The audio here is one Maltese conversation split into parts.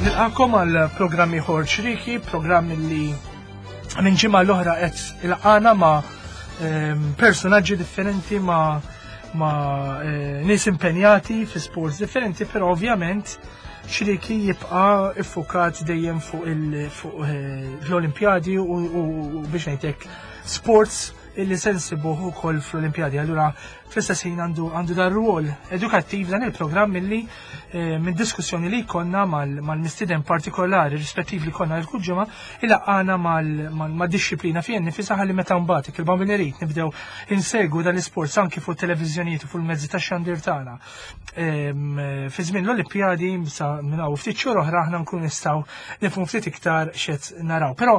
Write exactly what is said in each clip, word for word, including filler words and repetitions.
Nilqakom għal programm ieħor Ċrieki, programm li minn ġimgħa l-oħra qed ilqana ma' ehm, personaġġi differenti ma' ma' eh, nies impenjati fi sports differenti, però ovvjament Ċrieki jibqa' iffukat dejjem fuq il- fuq, eh, l-Olimpjadi u, u, u biex ngħidlek sports illi se nsibuh ukoll fl-Olimpjadi. Allura fl-istess ħin għandu għandu dar rwol edukattiv dan il-programm illi eh, minn diskussjoni li jkollna mal-mistieden partikolari rispettiv li konna l ġimgħa ilaqqana mal-dixxiplina fih nifisha ħalli meta mbagħad il-bambin irid nibdew insegwu dan l-isports anki fuq televiżjonijiet u fuq il-mezzi tax-xandir tagħna. Em, Fi żmien l-Olimpjadi sa minn hawn ftit xhur oħra aħna nkun nistgħu nifhmu ftit iktar x'qed naraw. Però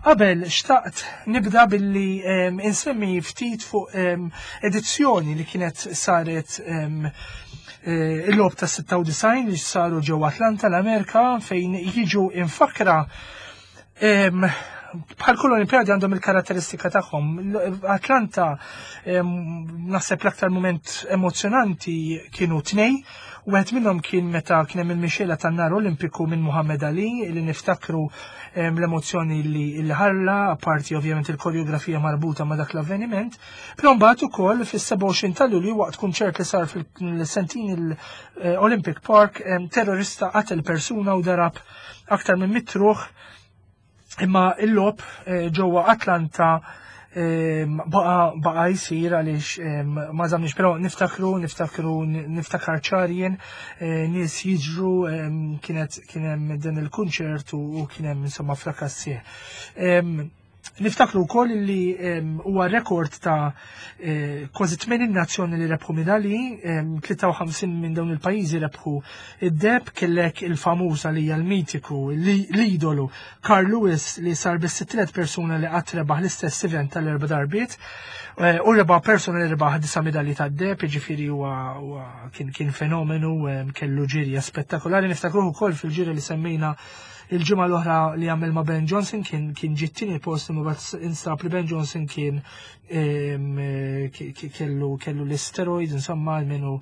qabel xtaqt nibda billi em, insemmi ftit fuq em, edizzjoni li kienet saret em, eh, il-logħob ta' sitta u disgħin li saru ġewwa Atlanta, l-Amerika, fejn jiġu infakra em, bħal kull Olimpjadi għandhom il-karatteristika tagħhom. L- Atlanta em, naħseb l-aktar moment emozjonanti kienu tnej. Wieħed minnhom kien meta kien hemm il-mixela tan-nar Olimpiku minn Muhammad Ali, li niftakru em, l-emozzjoni li li ħalla, apparti ovvjament il-koreografija marbuta ma' dak l-avveniment. Però mbagħad ukoll fis-sebgħa u għoxrin ta' Lulju, waqt kunċert li sar fil-Centennial eh, Olympic Park, em, terrorista qatel persuna u darab aktar minn mitt ruħ, imma il-logħob eh, ġewwa Atlanta em, baqa baqa jisir għaliex em, ma żamniex, però niftakru niftakru niftakar ċarien eh, nies jiġru, em, kienet kien hemm dan il-kunċert u u kien hemm insomma frakass sħiħ. Em, Niftakru wkoll li em, huwa rekord ta' eh, kważi tmenin nazzjoni li rebħu medalji, em, tlieta u ħamsin minn dawn il-pajjiżi rebħu id-deheb. Kellek il-famuża li hija l-mitiku, li- l-idolu Carl Lewis, li sar biss tliet persuna li qatt rebaħ l-istess event tal-erba' darbiet. Eh, U reba persuna li rebaħ disa' medalji tad-deheb, jiġifieri huwa huwa kien kien fenomenu, em, kellu ġirja spettakolari. Niftakruh ukoll fil-ġirja li semmejna il-ġimgħa l-oħra li għamel ma' Ben Johnson, kien kien ġie t-tieni post, imma mbagħad instab li Ben Johnson kien em, eh, ki- ki- kellu kellu l-steroids, insomma, almenu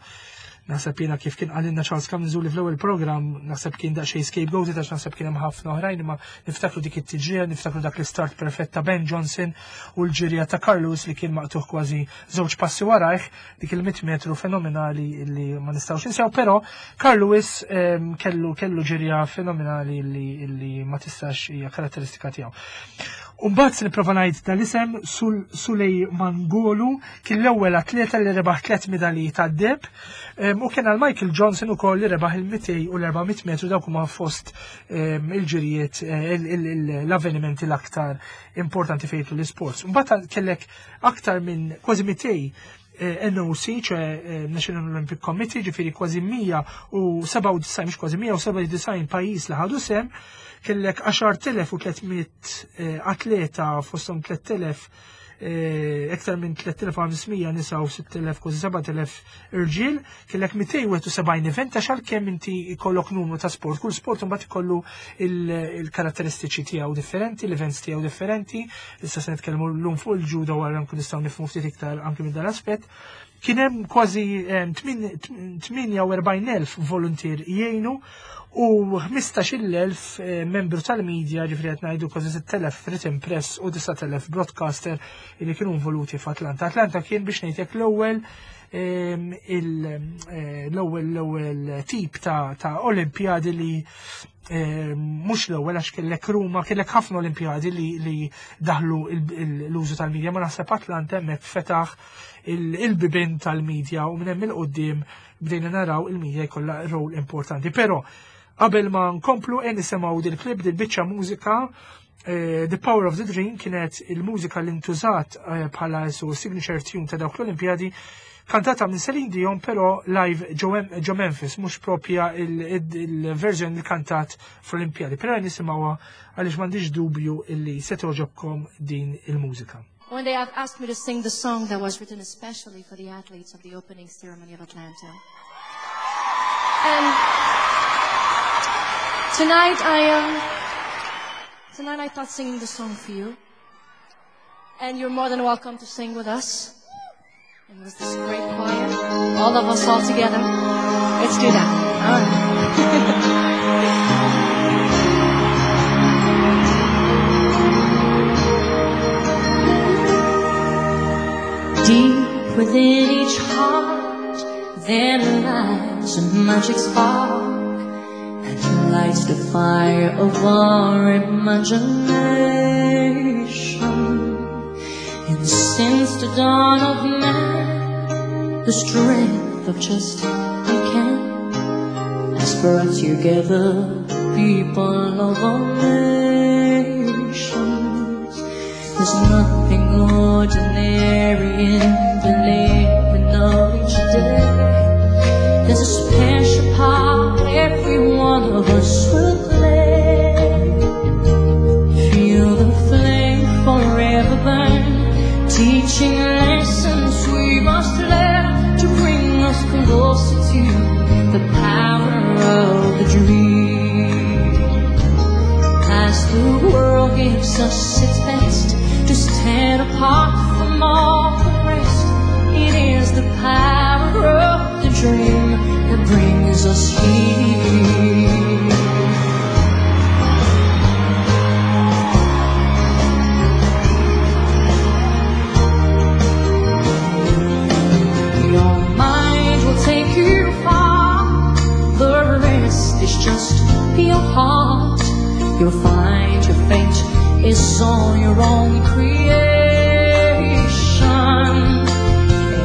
naħseb jiena kif kien qalilna Charles Camenzuli fl-ewwel programm, naħseb kien daqsxejn scapegoated għax naħseb kien hemm ħafna oħrajn, imma niftakru dik it-tiġrija, niftakru dak l-istart perfett ta' Ben Johnson u l-ġirja ta' Carl Lewis li kien maqtuħ kważi żewġ passi warajh, dik il-mitt metru fenomenali li ma nistgħux ninsew, però Carl Lewis em, kellu kellu ġirja fenomenali li, li ma tistax, hija karatteristika tiegħu. Umbagħad se nipprova ngħid dal-isem, Sul Suley Mangolu, kien l-ewwel atleta li rebaħ tliet medalji tad-deheb em, u kien għal Michael Johnson ukoll li rebaħ il-mitejn u l-erba' mitt metru. Dawk huma fost em, il-ġirijiet, eh, il- il- il- l-avvenimenti l-aktar importanti fejn l-sports. Mbagħad kellek aktar minn kważi mitejn eh, N O C, ċe eh, National Olympic Committee, ġifieri kważi mija u sebgħa u disgħin, mhux kważi, mija u sebgħa u disgħin pajjiż li ħadu sehem, kellek għaxart elef u tliet mitt eh, atleta, fosthom tlett elef, eh, iktar minn tliet elef u ħames mija nisa u sitt elef, kważi sebat elef irġiel, kellek mitejn u wieħed u sebgħin event, għax għalkemm inti jkollok numru ta' sport, kull sport imbagħad ikollu il- il-karatteristiċi tiegħu differenti, l-events tiegħu differenti. Issa se nitkellmu llum fuq il-ġudo wara, nkun nistgħu nifhmu ftit iktar anke minn dan l-aspett. Kien hemm kważi em, tmin- tmienja u erbgħin elf volunteer jgħinu u ħmistax-il elf eh, membru tal-media, ġifieri qed ngħidu kważi sitt elef written press u disa' elef broadcaster li kienu involuti f'Atlanta. Atlanta kien, biex ngħidlek, l-ewwel em, il- eh, l-ewwel l-ewwel tip ta' ta' Olimpjadi li eh, mhux l-ewwel għax kellek Ruma, kellek ħafna Olimpjadi li, li daħlu il- il- l-użu tal-medja, ma naħseb Atlanta hemmhekk fetaħ il- il-bibin tal-medja u minn hemm il-qudiem bdejna naraw il-medja jkollha rol importanti. Però qabel ma nkomplu e nisimgħu dil-klip, dil-biċċa mużika, eh, The Power of the Dream kienet il-mużika li ntużat eh, bħala su signature tune ta' dawk l-Olimpjadi, kantata minn Celine Dion, però live ġo Memphis, mhux propja il-version li kantat fl-Olimpjadi. Però nisimgħuha għaliex m'għandix dubju illi se toġobkom din il-mużika. When they asked me to sing the song that was written especially for the athletes of the opening ceremony of Atlanta. And Tonight I am. Tonight I thought singing the song for you. And you're more than welcome to sing with us. And with this great choir, all of us all together. Let's do that. All right. Deep within each heart there lies a magic spark that lights the fire of our imagination. And since the dawn of man, the strength of just I can has brought together people of all nations. There's nothing ordinary in the living of each day. There's a special part every one of us will play. Feel the flame forever burn, teaching lessons we must learn to bring us closer to the power of the dream. As the world gives us its best to stand apart from all the rest, it is the power of the dream that brings us here. Your mind will take you far, the rest is just your heart. You'll find your fate is all your own creation.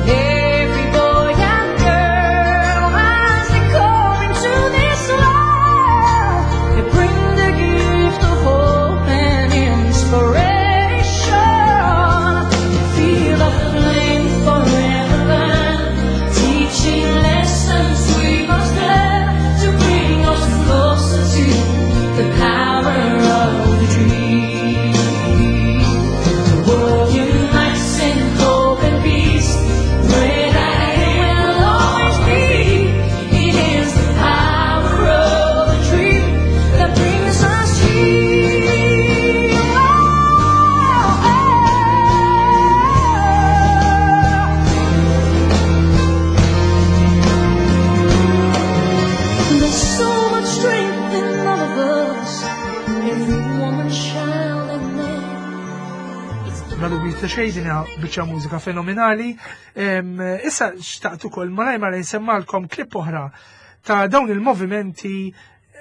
And every boy and girl, as they come into this world, they bring the gift of hope and inspiration. Feel the flame forever burn, teaching lessons we must learn to bring us closer to the power of the dream. The world unites in hope and peace. Pray that it will always be. It is the power of the dream that brings us here. Oh, oh. There's so much strength in all of us, every woman, child, and man. It's the Bla dubju ta' xejn din hija biċċa mużika fenomenali. Em, Issa xtaqt ukoll malaj malaj nsemmalkom klip oħra ta' dawn il-movimenti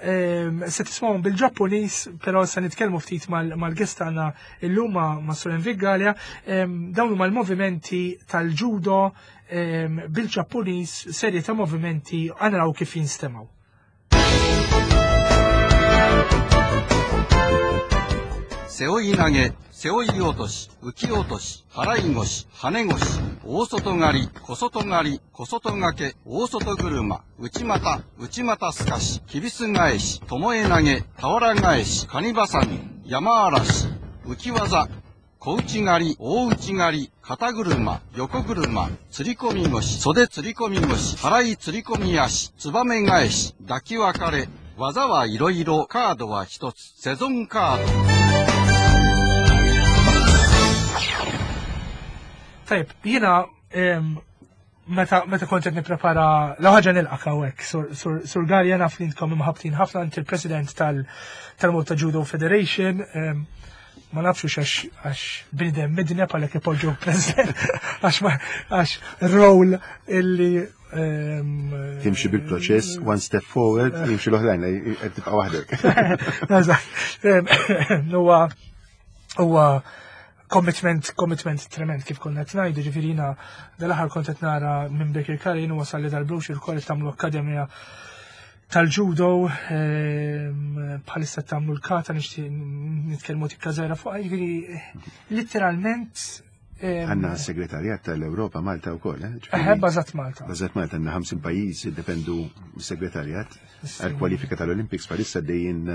em, se tismawhom bil-Ġappuniż, però se nitkellmu ftit mal- mal-guest tagħna illum ma' ma' Sur Enrique Galea. Em, Dawn huma l-movimenti tal-judo em, bil-Ġappuniż, serje ta' movimenti għanraw kif jinstemaw. 背負い投げ、背負い落とし、浮き落とし、払い腰、跳ね腰、大外刈り、小外刈り、小外掛け、大外車、内股、内股すかし、きびす返し、巴投げ、俵返し、カニばさみ、山嵐、浮き技、小内刈り、大内刈り、肩車、横車、釣り込み腰、袖釣り込み腰、払い釣り込み足、ツバメ返し、抱き分かれ、技はいろいろ、カードは一つ、セゾンカード。 Tajb, jiena em, meta meta kont qed nipprepara l ħaġa nilqak hawnhekk, Sur, Sur, Sur Galea naf li intkom imħabtin ħafna inti il-President tal tal-Malta Judo Federation. em, ma nafx hux għax għax bniedem midneb għalhekk ipoġġu President għax ma għax role illi em, Timxi bil-proċess, one step forward, jimxi l-oħrajn, qed tibqa' waħdek. Eżatt. Em, Huwa huwa commitment commitment trement kif konna qed ngħidu, ġifieri jiena dal-aħħar kont qed nara minn Birkirkara jien wasal li dal-brochure ukoll tagħmlu akkademja tal-judo, em, bħalissa tagħmlu l-kata nixtieq nitkellmu tikka żgħira fuq, ġifieri letteralment em, Għandna segretarjat tal-Europa Malta wkoll, eh? Ġifieri- Eħe, bażat Malta. Bażat Malta għandna ħamsin pajjiż jiddependu mis-segretarjat għal-kwalifika tal-Olympics bħalissa dejjin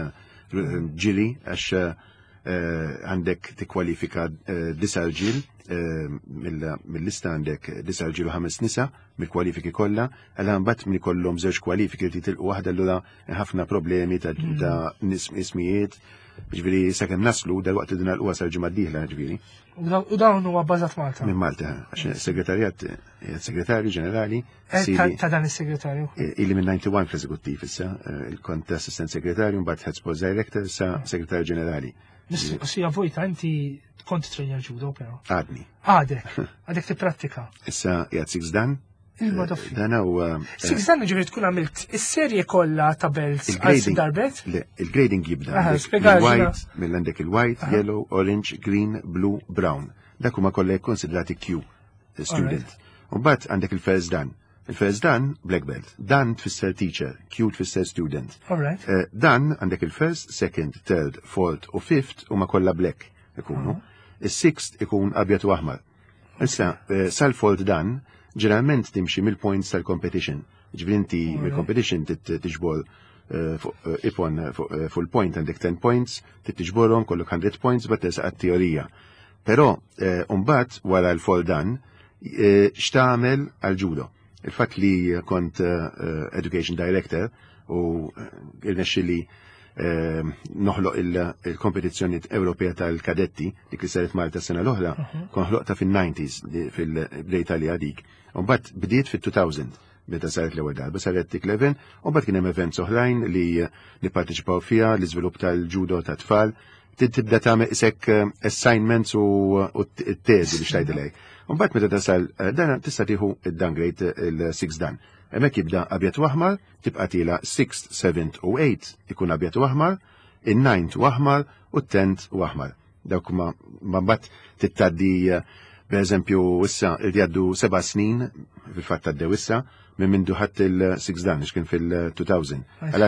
ġili għax eh, Eh, Għandek tikkwalifika eh, disa' rġiel, eh, mill- mill-lista għandek disa' rġiel u ħames nisa mill-kwalifiki kollha, għal mbagħad min ikollhom żewġ kwalifiki li tilqu waħda, allura ħafna problemi ta' ta' nis- ismijiet. Ġifieri sakemm naslu dal-waqt li din l sal-ġimgħa d-dieħla ġifieri. U daw- U dawn huwa bbażat Malta. Minn Malta, għax segretarjat, eh, segretarju ġenerali, Eh, ta- sili- Ta' dan is-segretarju. Ili minn disgħa u disgħin fl-eżekuttiv issa, eh, il-kont assistent segretarju, mbagħad head sports director, issa segretarju ġenerali. Mistoqsija vojta, inti kont trainer judo, però. Għadni. Għadek, għadek tipprattika. Issa qiegħed six dan. Il-madoffi. Dan huwa Six dan ġifieri tkun għamilt is-serje kollha ta' belts għal sitt il-grading. darbet? Le, il-grading jibda Aha, għandek spjega mill-white, mill-għandek il-white, yellow, orange, green, blue, brown. Dak huma kollha konsidrati kyu student. U mbagħad għandek il-first dan. Il-first dan, black belt. Dan tfisser teacher, kyu tfisser student. All right. Eh, Dan għandek il-first, second, third, fourth u fifth huma kollha black ikunu. Is-sixth ikun abjad u aħmar. Issa, eh, sal-fourth dan, ġeneralment timxi mill-points tal-competition. Ġifieri inti mill-competition tit- tiġbor eh, fuq eh, ipon eh, fuq eh, full point għandek ten points, tiġborhom kollok hundred points, bat tersaq għat-teorija. Però, mbagħad wara l-fourth dan, eh, x'tagħmel għal-judo? Il-fatt li kont eh, education director u eh, irnexxili eh, noħloq il- il-kompetizzjoni Ewropea tal-kadetti dik li saret Malta sena l-oħra, kon ħloqta fil-nineties fil-Italja dik. U mbagħad bdiet fil-elfejn meta saret l-ewwel darba, saret dik l-event, u mbagħad kien hemm events oħrajn li nipparteċipaw fiha, l-iżvilupp tal-judo ta' tfal, Trid tibda tagħmel isek eh, assignments u u t-teżi biex tgħidilek. U mbagħad meta tasal eh, dan tista' tieħu id-dan grade, il-six dan. Hemmhekk jibda abjad u aħmar, tibqa' tiela' sixth, seventh u eighth ikun abjad u aħmar, in-ninth u aħmar u t-tenth u aħmar. Dawk ma ma mbagħad tittaddi eh, per eżempju issa il jgħaddu seba' snin, fil-fatt għaddew issa minn mindu ħadd il-six dan, kien fil-elfejn. Għal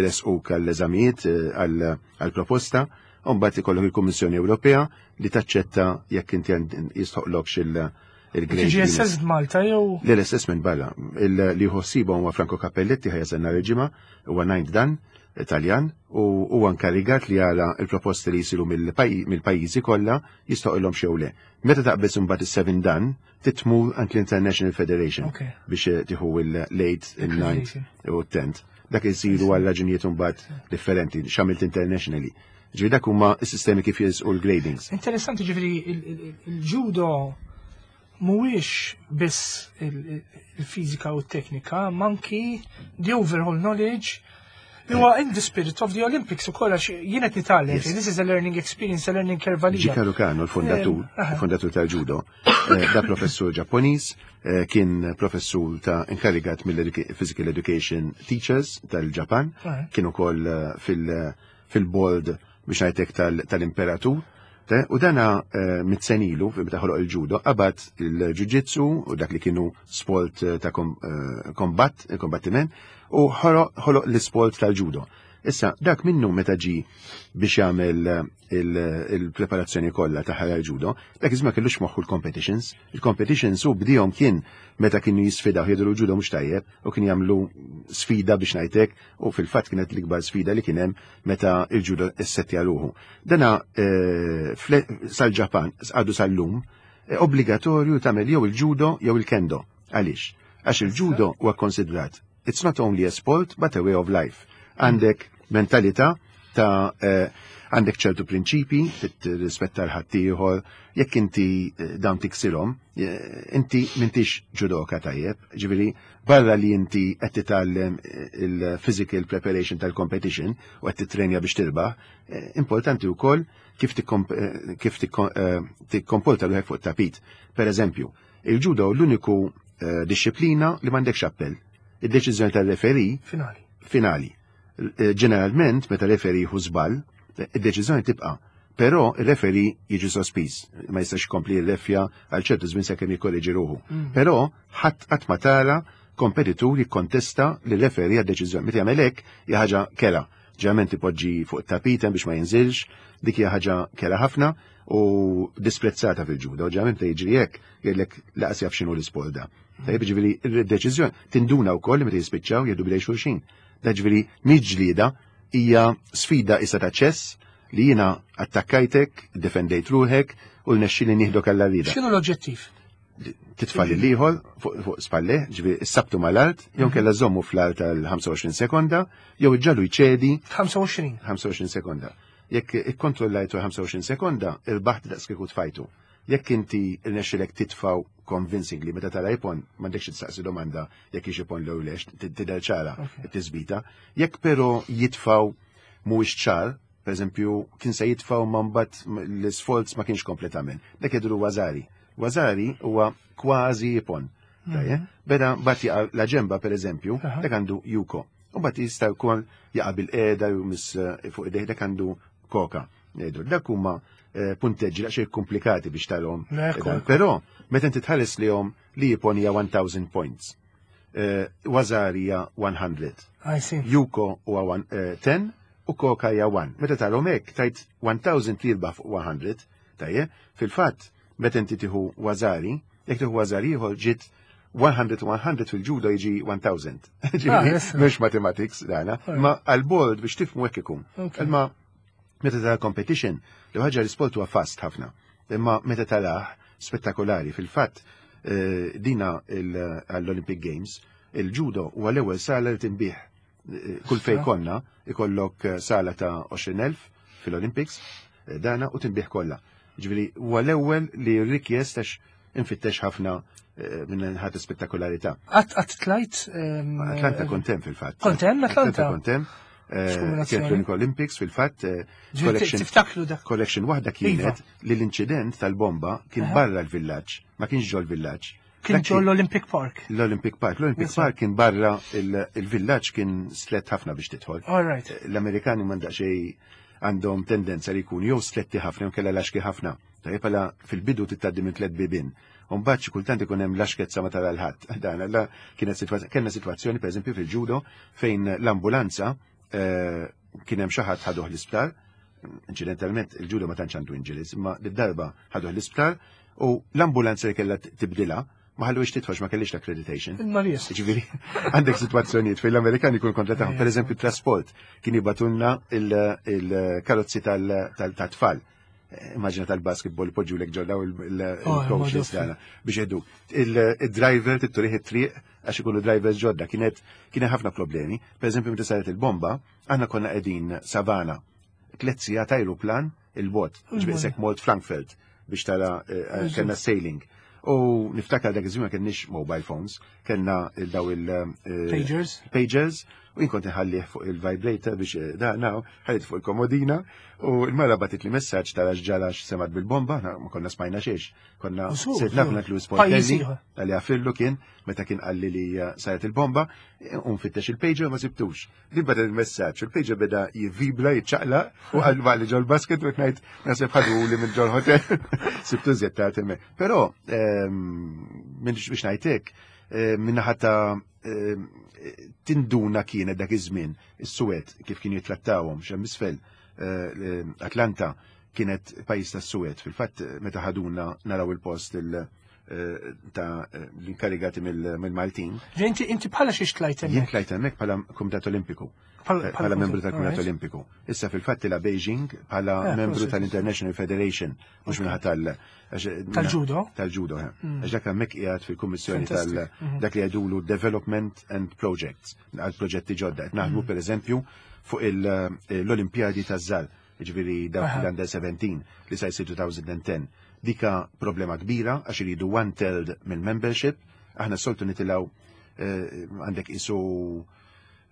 il-S U għall-eżamijiet għall-proposta, u mbagħad ikollok il-Kummissjoni Ewropea li taċċetta jekk inti jistħoqlokx il-grade. Tiġi assessed Malta jew? L-assessment barra. Li ħossiba huwa Franco Cappelletti, ħa jasal nhar il-Ġimgħa, huwa ninth dan, Italjan, u huwa inkarigat li jara il-proposti li jisiru mill-pajjiżi kollha jistħoqilhom xew le. Meta taqbeż imbagħad is-seven dan, titmur għand l-International Federation biex tieħu il-eight, il-ninth u t-tenth. Dak isiru għal raġunijiet imbagħad differenti, x'għamilt internationally. Ġifieri dak huma s-sistemi kif jisqu l-gradings. Interessanti, ġifieri il-judo mhuwiex biss il-fiżika u t-teknika, manki the overall knowledge li huwa in the spirit of the Olympics u kollax jien qed nitgħallem. This is a learning experience, a learning curve għalija. Jigoro Kano, l-fondatur, il-fondatur tal-judo, eh, da professur Ġapponiż, eh, kien professur ta' inkarigat mill-Physical Education Teachers tal-Ġapan, kien ukoll eh, fil-board biex ngħidlek tal-imperatur. U dana mitt sena ilu, meta ħoloq il-judo, qabad il-jiu-jitsu u dak li kienu sport ta' kombat, kombattiment, u ħoloq l-sport tal-judo. Issa, dak minnu meta ġi biex jagħmel il-preparazzjoni kollha ta' ħara judo, dak iż kellux moħħu l-competitions. Il-competitions u bdihom kien meta kienu jisfidaw, jgħidu l-judo mhux tajjeb u kien jagħmlu sfida biex ngħidlek, u fil-fatt kienet l-ikbar sfida li kien hemm meta il-judo issettja ruħu. Dana eh, sal-Ġapan għadu sal-lum eh, obbligatorju tagħmel jew il-judo jew il-kendo. Għaliex? Għax il-judo huwa konsidrat it's not only a sport but a way of life. Għandek mentalità ta' eh, għandek ċertu prinċipi, rispetta l-ħaddieħor, jekk inti eh, dawn tiksirhom, eh, inti m'intix judoka tajjeb, ġifieri barra li inti qed titgħallem il-physical preparation tal-competition u qed titrenja biex tirbaħ, importanti wkoll kif kif tikkomporta ruħek fuq tapit. Per eżempju, il-judo l-uniku disċiplina li m'għandekx appell. Id-deċiżjoni tal-referee Finali. Finali. Ġeneralment, meta referee jieħu żball, id-deċiżjoni tibqa'. Però il-referee jiġi sospiż, ma jistax jkompli jirreffja għal ċertu żmien sakemm jikkorreġi ruħu. Mm. Però ħadd qatt ma tara kompetitur jikkontesta li referee għad-deċiżjoni. Meta jagħmel hekk hija ħaġa kerha. Ġeneralment ipoġġi fuq it-tapit biex ma jinżilx, dik hija ħaġa kerha ħafna u disprezzata fil-ġudo. Ġeneralment jiġri hekk jgħidlek laqas jaf x'inhu l-isport da. Tajjeb, ġifieri il-deċiżjoni tinduna wkoll meta jispiċċaw jgħidu bidej xulxin. Da ġifieri mhix ġlieda, hija sfida issa ta' ċess Li jiena attakkajtek, defendejt ruħek u rnexxieli nieħdok għall-għarrieda. X'inhu l-oġġettiv? Titfa' l-ieħor fuq fuq spalle, ġifieri issabtu mal-art, jew kella żommu fl-art għal ħamsa u għoxrin sekonda, jew iġġagħlu jċedi. ħamsa u għoxrin. ħamsa u għoxrin sekonda. Jekk ikkontrollajtu ħamsa u għoxrin sekonda, irbaħt daqs kieku tfajtu. Jekk inti rnexxilek titfaw convincingly, meta tara ippon, m'għandekx tistaqsi domanda jekk hix ippon jew le, tidher ċara it-tisbita. Jekk però jitfaw mhuwiex ċar, per eżempju, kien se jitfaw ma mbagħad l-isforz ma kienx kompletament. Dak jgħidulu wazari. Wazari huwa kważi ippon. Tajjeb? Beda mbagħad jaqa' la ġemba, per eżempju, Aha. dak għandu yuko. U mbagħad jista' wkoll jaqa' bil-qiegħda jew miss eh, fuq idejh, dak għandu koka. Ngħidu, dak huma eh, punteġġi daqsxejn komplikati biex talhom. Ekku, ekku. Però meta inti tħares lihom li ippon hija elf points. Eh, Wazari hija mija. I see. Yuko huwa one- eh, għaxra u Koka hija wieħed. Meta tarhom hekk tajt elf li jirbaħ fuq mija, tajjeb, fil-fatt meta inti tieħu Wazari, jekk tieħu Wazari ieħor ġiet mija u mija fil-ġudo jiġi elf. Ġifieri, yes. mhux mathematics dana, ma għal-board biex tifhmu hekk ikun. Okay. Imma meta tara competition, li ħaġa l-sport huwa fast ħafna. Imma meta tarah spettakolari, fil-fatt eh, dina il- għall-Olympic Games, il-judo huwa l-ewwel sala li tinbih. Eh, Kull fej konna ikollok eh, sala ta' għoxrin elf fil-Olympics, eh, dana u tinbih kollha. Ġifieri huwa l-ewwel li rikjest għax infittex ħafna eh, minn ħadd spettakolariità. Qatt qatt tlajt? ehm, Atlanta kont hemm fil-fatt. Kont hemm Atlanta? Kont hemm. Eh, X'kombinazzjoni. Kienet l-Unique Olympics fil-fatt. eh, Ġifieri Collection tiftakru dak. collection waħda kienet li l-inċident tal-bomba kien Aha. barra l-villaġġ, ma kienx ġol villaġġ. Kien Dak ġol l-Olympic Park. L-Olympic Park. L-Olympic Yes, sir. Park kien barra il- il-villaġġ kien stret ħafna biex tidħol. All right. L-Amerikani m'għandha xej għandhom tendenza li jkunu jew stretti ħafna jew kella laxki ħafna. Tajjeb, għala fil-bidu titgħaddi minn tliet bibien. Mbagħad xi kultant ikun hemm laxkezza ma tara l-ħadd. Dan alla kienet sitwazzjoni, kellna sitwazzjoni pereżempju fil-ġudo fejn l-ambulanza eh, kien hemm xi ħadd ħaduh l-isptar. Incidentalment il-ġudo ma tantx għandu injuries, imma d-darba ħaduh l-isptar u l-ambulanza li kellha tibdilha ma ħallux tidħol, ma kellix l-accreditation. Il-Marijas. Ġifieri, għandek situazzjonijiet fejn l-Amerikani jkun kontra tagħhom. Per eżempju, trasport kien jibatulna il-karozzi tal-tfal. Immaġina tal-basketball poġġu lek ġollaw il-coaches Oh, dana biex jgħidu. Il-driver titturih it-triq għax ikunu drivers ġodda. Kienet kien ħafna problemi. Per eżempju, meta saret il-bomba, aħna konna qegħdin Savana. Tliet sigħat ajruplan il-bot, ġifieri sek mort Frankfurt biex tara eh, kellna sailing. U niftakar dak iż-żmien ma kenniex mobile phones, kellna daw il- eh, Pagers. Pagers, u jien kont inħallih fuq il-vibrator biex eh, da naw, ħallit fuq il-komodina, u il-mara batit li messaġġ tara x'ġara, x'semat bil-bomba, aħna ma konna smajna xiex. Konna U su, sirt su. naf Louis Pajjiż Portelli, ieħor. għalli għafillu kien, meta kien qalli li eh, saret il-bomba, u nfittex il-pager ma sibtux. Din bada il-messaġġ, il-pager beda jivvibra, jitċaqla, u għal li ġol basket, u ngħid naħseb ħadu li minn ġol hotel. Sibtu żjed ta' temme. Però, ehm, minn biex ngħidlek, eh, minn ħata ehm, tinduna kienet dak iż-żmien is-Suwed kif kienu jitrattawhom x'hemm isfel eh, Atlanta kienet pajjiż tas-Suwed. Fil-fatt meta ħaduna naraw il-post il- eh, ta' eh, l-inkarigati mill- mill-Maltin. Ġe, Inti inti bħala xiex tlajt Jien hemmhekk? tlajt hemmhekk bħala Kumitat Olimpiku. Bħala- Eh, Bħala membru tal-Kumitat alright. Olimpiku. Issa fil-fatt la Beijing bħala Eh, membru prosit. tal-International Federation, mhux minħa tal- għax- Tal-judo? Tal-judo, eh. Għax dak hemmhekk qiegħed fil-kummissjoni tal Fantastic. Mhm. dak li jgħidulu Development and Projects, għal proġetti ġodda. Qed naħdmu pereżempju fuq il- l-Olimpjadi taż-żgħar, ġifieri dawk Aha. l-under seventeen li sa jsir elfejn u għaxra. Dika problema kbira għax iridu one third mill-membership, aħna soltu nitilgħu eh, għandek isu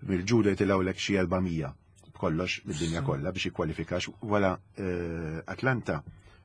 mill-ġudo jitilgħu lek xi erba' mija b'kollox mid-dinja kollha biex jikkwalifikax wara eh, Atlanta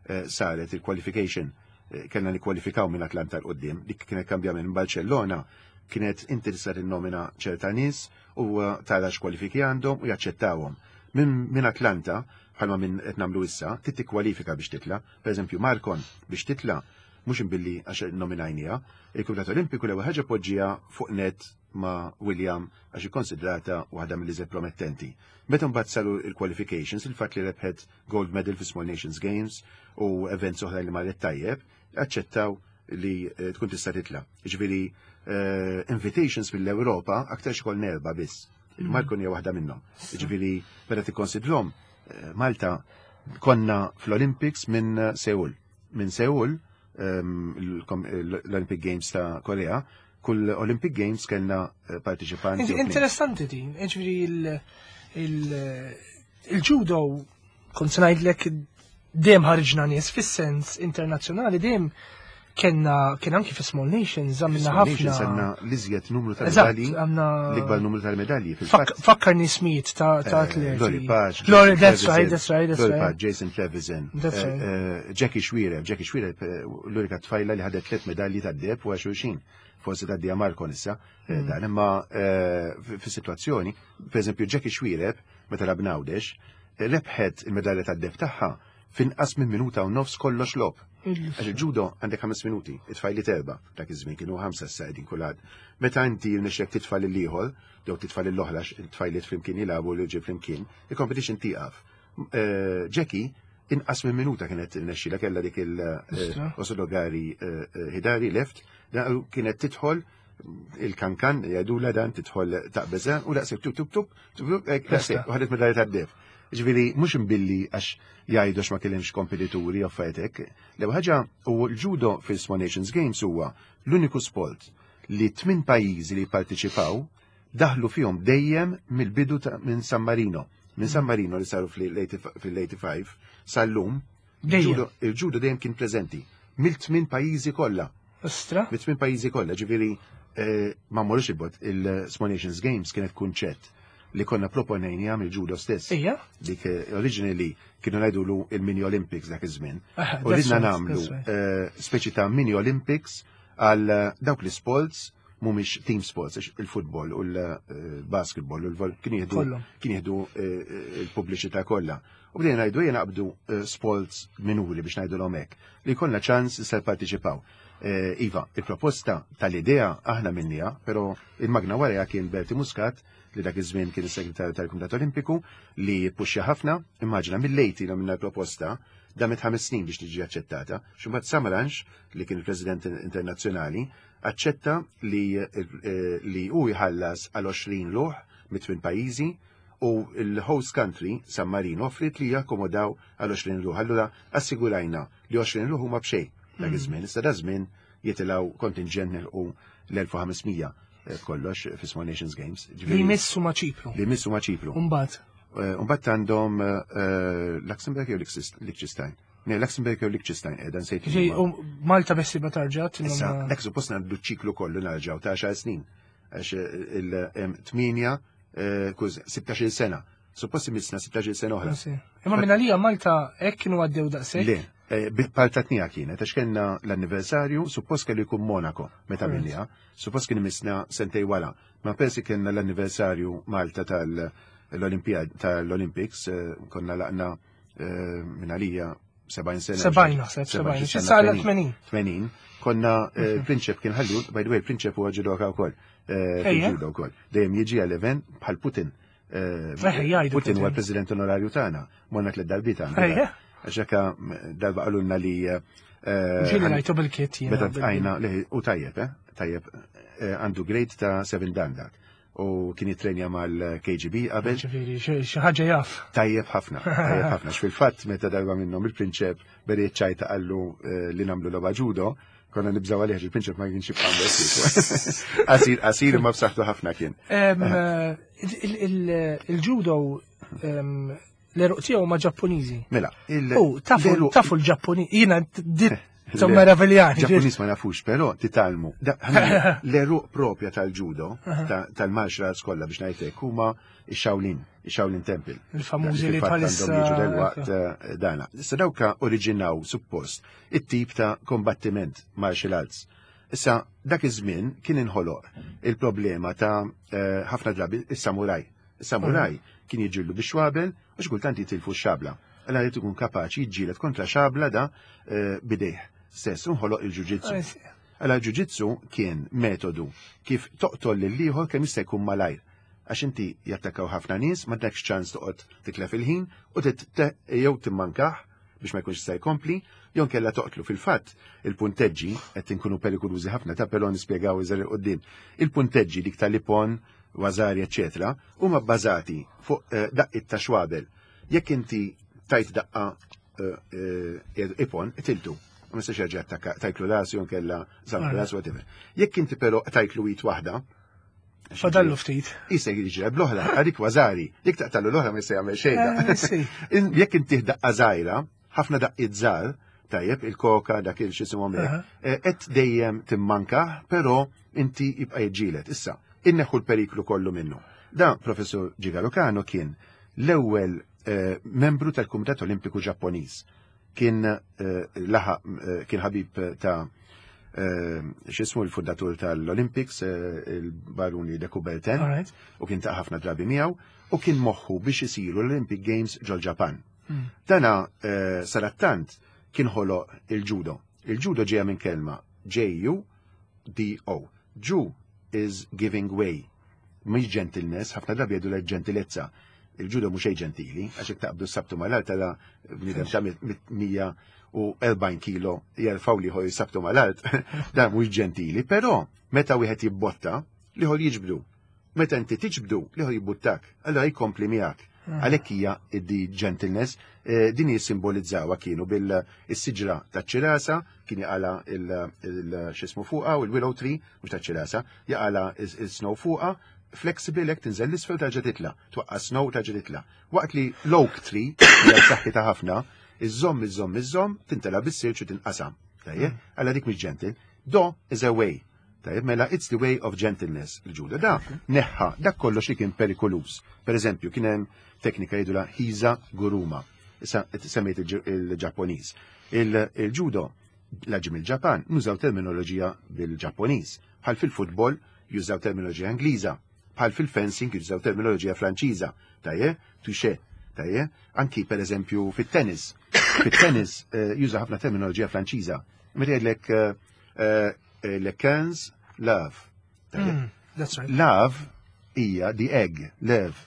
eh, saret il-qualification, eh, kellna nikkwalifikaw minn Atlanta 'l quddiem. Dik kienet kambjament. Minn Barcellona kienet inti tista' tinnomina ċerta nies u eh, tara x'kwalifiki għandhom u jaċċettawhom. Minn min Atlanta, bħalma minn qed nagħmlu issa, trid tikkwalifika biex titla. Per eżempju, Marcon biex titla mhux imbilli għax nominajnija, il-Kumitat Olimpiku l-ewwel ħaġa poġġija fuq net ma' William għax ikkonsidrata waħda mill-iżjed promettenti. Meta mbagħad saru il-qualifications, il-fatt li rebħet gold medal fi Small Nations Games u events oħra li marret tajjeb, aċċettaw li eh, tkun tista' titla. Ġifieri eh, invitations mill-Ewropa aktar xkol nerba biss. Il-Marcon hija waħda minnhom. Ġifieri meta tikkonsidrhom eh, Malta Konna fl-Olympics minn eh, Seul. Minn Seul, ehm, l-kom- l-Olympic Games ta' Korea, kull Olympic Games kellna eh, partiċipanti. u tnejn. Interessanti din, ġifieri il- il- il-judo, kont se ngħidlek dejjem ħarġna nies fis-sens internazzjonali, dejjem kellna kien anki fi Small Nations għamilna Small Nations ħafna. għandna l-iżjed numru ta' Eżatt, medalji, għandna l-ikbar numru tal-medalji. Fak- Fil-fatt, Fakkarni smijiet ta' ta' eh, atleti. Lori Page, Lori, Jason that's right, Trevisan, that's right, that's Lori right. Page, Jason Trevisan, That's eh, right. eh, Jackie Xuereb, Jackie Xuereb, eh, l-unika tfajla li ħadet tliet medalji tad-deheb u xulxin. Forsi tgħaddi Marko issa, eh, Mm. dan imma eh, fi fi situazzjoni, per eżempju Jackie Xuereb, meta lagħbna Għawdex, eh, rebħet il-medalja tad-deheb tagħha finqas minn minuta u nofs kollox logħob. Għax il-ġudo għandek ħames minuti, it-tfajli erba, dak iż-żmien kienu ħamsa issa qegħdin kulħadd. Meta inti jirnexxek titfa' lil ieħor, jew titfa' lil oħra, it-tfajliet flimkien jilagħbu li ġie flimkien, il-competition tieqaf. Eh, Jackie inqas minn minuta kienet irnexxila kellha dik Istra. il-Osodogari Hidari left, da- kienet tidħol il-kankan, jgħidula dan tidħol taqbeża u daqshekk tup tup tup, tup tup, hekk, daqshekk, u ħadet medalja tad-deheb. Ġifieri, mhux imbilli għax jgħidu ma kellhomx kompetituri u affarijiet. L-ewwel ħaġa u l-judo fil-Small Nations Games huwa l-uniku sport li tmien pajjiżi li parteċipaw daħlu fihom dejjem mill-bidu ta' minn San Marino. Minn San Marino li saru fil-eighty-five sal-lum, Dejjem. il-judo- il-judo dejjem kien preżenti mill-tmien pajjiżi kollha. Ostra? Mit-tmien pajjiżi kollha, ġifieri eh, ma mmorrux il-bot, il-Small Nations Games kienet kunċett li konna proponejnija mill-judo stess. Ija? Dik eh, originally kienu ngħidulu il-Mini Olympics dak iż-żmien. Ah, U that's ridna right, nagħmlu that's right. eh, speċi ta' Mini Olympics għal eh, dawk l-sports mhumiex team sports, għax il-futbol u l-basketball u l-vol kien jieħdu Kollhom. kien jieħdu eh, il-pubbliċità kollha. U bdejna ngħidu ejja naqbdu eh, sports minuri biex ngħidu l hekk li jkollna ċans se parteċipaw. Eh, Iva, il-proposta tal-idea aħna minnija, però il-magna warajha kien Berti Muscat li dak iż-żmien kien is-segretarju tal-Kumitat Olimpiku li puxxa ħafna, immaġina mill-lejti li minna proposta damet ħames snin biex tiġi aċċettata. Xumbat Samaranch li kien il-President internazzjonali aċċetta li eh, li hu jħallas għal għoxrin ruħ mit-tmien pajjiżi u il-host country, San Marino, offrit li jakkomodaw għal għoxrin ruħ. Allura assigurajna li għoxrin ruħ huma b'xejn dak iż-żmien. Issa da żmien jitilgħu kontingent nilqu l-elf u ħames mija eh, kollox fi Small Nations Games. Li Ġifieri- missu ma' Ċipru. Li missu ma' Ċipru. Umbagħad. Eh, Umbagħad għandhom eh, Luxembourg jew Liechtenstein. Ne, Luxembourg jew Liechtenstein, eh, dan sejt. Ġej, u Malta bessi batarġa. Issa, dak suppost għandu ċiklu kollu narġaw ta' għaxar snin. Għax il-tmienja, kuż, sittax-il sena. Suppost imissna sittax-il sena oħra. Imma minn għalija Malta hekk kienu għaddew daqshekk. Le, eh, bi- partatnija kienet, għax kellna l-anniversarju, suppost kellu jkun Monaco, meta Right. minnija, suppost kien imissna sentej wara. Ma persi kellna l-anniversarju Malta tal-Olimpiad, tal-Olympics, eh, konna laqna eh, minn għalija sebgħin sena. Sebgħin naħseb, sebgħin. Issa għal tmenin. tmenin. Konna eh, Prinċep kien ħallu, by the way, Prinċep huwa ġudoka wkoll. eh, Ejja. Fil-ġudo wkoll. Dejjem jiġi għall-event bħal Putin. Eh, Eħe, jgħidu Putin huwa Putin. l-President onorarju tagħna. Morna tliet darbiet għandu. Ejja. Għax hekka darba qalulna li eh, Ġieli rajtu bil-kit jiena. Meta bil- tqajna li u tajjeb, eh? Tajjeb, eh, għandu grade ta' seven dan dak. U kien jitrenja mal-K G B qabel. Ġifieri, xi xi ħaġa jaf. Tajjeb ħafna, tajjeb ħafna. Fil-fatt meta darba minnhom il-prinċep beriet ċajta qallu eh, li nagħmlu logħba ġudo, konna nibżaw għalih il-prinċep ma kienx jibqa' Qasir, qasir imma b'saħħtu ħafna kien. Em, eh, il- il- Il-judo em, l-għeruq tiegħu ma' Ġappuniżi. Mela, il U tafu l-għeruq- tafu l-Ġappuni, jiena dit Le, meraviljani. Ġappuniż ma nafux, però titgħallmu. Da- ħana- L-għeruq propja tal-ġudo, ta- tal-martial arts kollha biex ngħidlek, huma ix-Shaolin, ix-Shaolin Temple. Il-famużi li Fil-fatt bħalissa. għandhom jiġu delwaqt eh, dana. Issa dawka oriġinaw suppost it-tip ta' kombattiment martial arts. Issa dak iż-żmien kien inħoloq il-problema ta' eh, ħafna drabi is-samuraj. Is-samuraj kien jiġġieldu bix-xwabel u xi kultant jitilfu x-xabla. Allura jrid ikun kapaċi jiġġieled kontra xabla da eh, bidejh stess, u nħoloq il-ġuġitsu. Allora ġuġitsu kien metodu kif toqtol lil ieħor kemm jista' jkun malajr. Għax inti jattakkaw ħafna nies, ma dakx ċans toqgħod titlef il-ħin u tit- te- jew timmankah biex ma jkunx jista' jkompli, jew kella toqtlu. Fil-fatt, il-punteġġi qed inkunu perikolużi ħafna ta' però nispjegaw iżgħar 'il quddiem. Il-punteġġi dik tal-ippon, wazari, eċetera, huma bbażati fuq eh, daqqiet ta' xwabel. Jekk inti Tajt daqqa eh, eh, ippon, qtiltu. Ma mistax jerġa' attakka, tajtlu rasu jew kella żamm rasu, whatever. Jekk inti però tajtlu id waħda, Fadallu ftit. Jista' jiġri bl-oħra, għadik waza-ari. Jekk taqtallu l-oħra ma jista' jagħmel xejn. Eh, sì. In- Jekk inti daqqa żgħira, ħafna daqqiet żgħar, tajjeb, il-koka, dak il x'isimhom hekk, Aha. eh, qed dejjem timmanka, però inti jibqa' jiġġieled. Issa, inneħħu l-periklu kollu minnu. Da, Professor Jigoro Kano kien l-ewwel eh, membru tal-Kumitat Olimpiku Ġapponiż. Kien eh, laħaq eh, kien ħabib ta' eh, x'ismu l-fundatur tal-Olympics, eh, il-Baruni de Coubertin, All right. u kien ta' ħafna drabi miegħu, u kien moħħu biex isiru l-Olympic Games ġol Ġapan. Mm. Dana eh, sarattant kien ħoloq il-judo. Il-judo ġeja minn kelma J U D O. Ju is giving way. Mhix gentleness, ħafna drabi jgħidu l-ġentilezza. Il-judo mhux xejn ġentili, għax jekk taqbdu sabtu mal-art tara bniedem ta' mija u erbgħin kilo jerfgħu l-ieħor jisabtu mal-art, dan mhux ġentili, però meta wieħed jibbotta, l-ieħor jiġbdu. Meta inti tiġbdu, l-ieħor jibbuttak, allora jkompli miegħek. Għalhekk hija di gentleness, eh, din jissimbolizzawa kienu bil-siġra taċ-ċirasa, kien jaqala il-xismu fuqa u il-willow tree, mhux taċ-ċirasa, jaqala il-snow fuqa, flexible, hekk tinżel l-isfel tarġa' titla, twaqqa snow tarġa' titla. Waqt li l-oak tree, hija b'saħħitha ħafna, iżomm, iżomm, iżomm, tintela bis-silġ u tinqasam. Tajjeb, għalla dik mhix gentle. Do is a way. Tajjeb, mela it's the way of gentleness, il-ġudo. Da, neħħa, dak kollox li kien perikolus. Per eżempju, kien hemm teknika jgħidula Hiza Guruma. Issa, semmejt il-Ġapponiż. Il-ġudo, laġim il-Ġapan, nużaw terminoloġija bil-Ġapponiż. Bħal fil-futbol, jużaw terminoloġija Ingliża. Bħal fil-fencing, jużaw terminoloġija Franċiża. Tajjeb, touché. Tajjeb, anki per eżempju fit-tennis. Fit-tennis eh, juża ħafna terminoloġija Franċiża. Meta jgħidlek eh, eh, le quinze love. Tajjeb. Mm, that's right. Love hija the egg, love.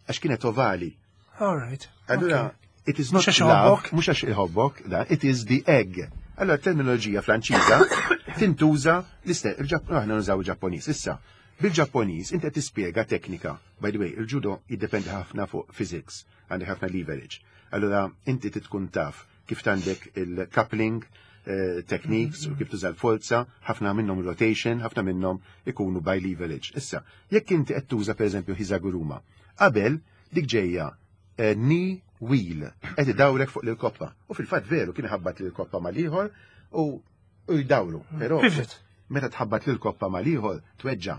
Għax kienet ovali. All right. Allura, Okay. it is not Mhux għax love, iħobbok? mhux għax iħobbok, da, it is the egg. Allora, terminoloġija Franċiża tintuża l-istess, aħna nużaw il-Ġapponiż. Issa, bil-Ġapponiż inti qed tispjega teknika. By the way, il-judo jiddependi ħafna fuq physics, għandek ħafna leverage. Allora, inti titkun taf kif għandek il-coupling eh, techniques u kif tuża l-forza, ħafna minnhom rotation, ħafna minnhom ikunu by leverage. Issa, jekk inti qed tuża pereżempju Hizaguruma, qabel dik ġejja eh, knee wheel, qed idawrek fuq l-koppa. U fil-fatt veru kien ħabbat l-koppa mal-ieħor u u jdawru. Però Pivot. meta tħabbat l-koppa mal-ieħor tweġġa.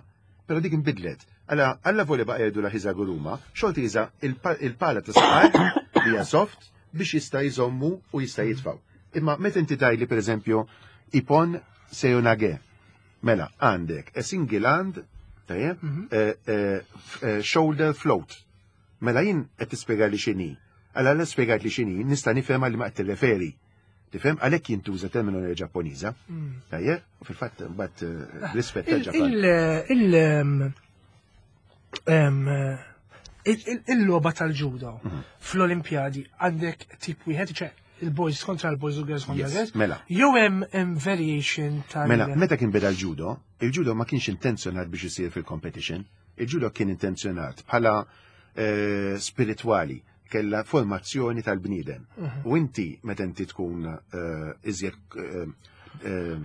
Però dik inbidlet. Alla alla voli baqa' jgħidu la Hizaguruma, xorta juża il-pala ta' saqaj li hija soft biex jista' jżommu u jista' jitfaw. Imma meta inti tgħidli pereżempju Ippon Seoinage, mela għandek a single hand, tajjeb, eh, eh, f- eh, shoulder float. Mela jien qed tispjega li x'inhi. Alla la spjegat li x'inhi, nista' nifhem li ma qed tirreferi. Tifhem għalhekk jintuża terminoloġija Ġapponiża. Tajjeb, u fil-fatt mbagħad eh, rispett Il- tal-Ġapan. il- il- em, em, il- il- Il-logħba tal-ġudo Mhm. fl-Olimpjadi għandek tip wieħed, ċe il-boys kontra l-boys u girls kontra Yes, girls. mela. Jew hemm hemm variation tal- Mela, meta kien beda l-judo, il-judo ma kienx intenzjonat biex isir fil-competition. Il-judo kien intenzjonat bħala eh, spirituali, kella formazzjoni tal-bniedem. U inti, meta inti tkun eh, iżjed eh, eh,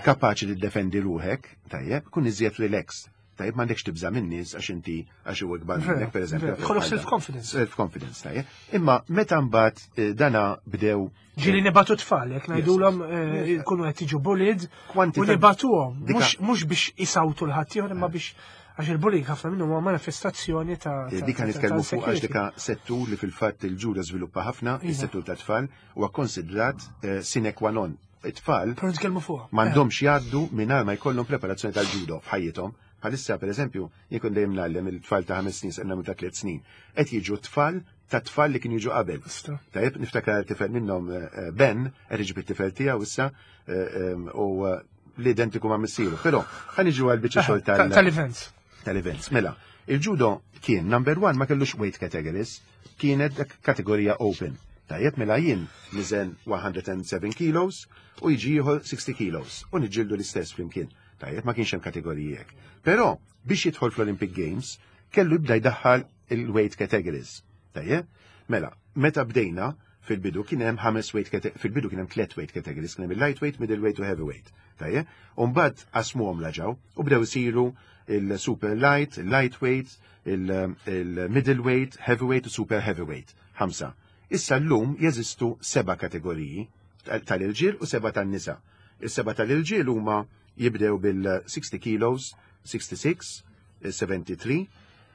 kapaċi tiddefendi ruħek, tajjeb, kun iżjed relaxed. Tajjeb, m'għandekx tibża' minn nies għax inti għax huwa ikbar Vera, minnek, per eżempju. vera. Jkollok self-confidence. Self-confidence, tajjeb. Imma meta mbagħad eh, dana bdew Ġieli nibagħtu tfal, jekk ngħidulhom Yes. eh, jkunu qed jiġu bullied u Kwantità- nibagħtuhom. Dika- Mhux mhux biex isawtu l-ħaddieħor imma biex għax il-bullying ħafna minnu huwa manifestazzjoni ta' ta' Dika ta' nitkellmu fuq għax insecurity. dika settur li fil-fatt il-ġudo żviluppa ħafna, Iva. is-settur ta' tfal, huwa konsidrat eh, sine qua non. It-tfal Però nitkellmu fuqha. m'għandhomx jgħaddu mingħajr ma jkollhom preparazzjoni tal-ġudo f'ħajjithom. Bħalissa pereżempju, jien kont dejjem ngħallem il-tfal ta' ħames snin sa' ta' tliet snin. Qed jiġu tfal ta' tfal li kienu jiġu qabel. Ista. Tajjeb, niftakar tifel minnhom eh, eh, Ben, qed iġib it-tifel tiegħu issa eh, em, u eh, l-identiku ma' missieru. Però ħa niġu għal biċċa xogħol Ta- tal- Tal-events. tal-events. Mela, il-judo kien number one ma kellux weight categories, kienet dak kategorija open. Tajjeb, mela jien niżen mija u seba' kilos u jiġi ieħor sittax kilos u niġġieldu l-istess flimkien. Tajjeb, ma kienx hemm kategoriji hekk. Però biex jidħol fl-Olympic Games kellu jibda jdaħħal il-weight categories. Tajjeb, Mela, meta bdejna fil-bidu kien hemm ħames weight cate- fil-bidu kien hemm tliet weight categories, kien hemm il-lightweight, middleweight u heavyweight. Tajjeb? U mbagħad qasmuhom laġaw u bdew isiru il-super light, il-lightweight, il-middleweight, heavyweight u super heavyweight. Ħamsa. Issa llum jeżistu seba' kategoriji tal-irġiel u seba' tan-nisa. Is-seba' tal-irġiel huma jibdew bil-sixty kilos, sixty-six, seventy-three,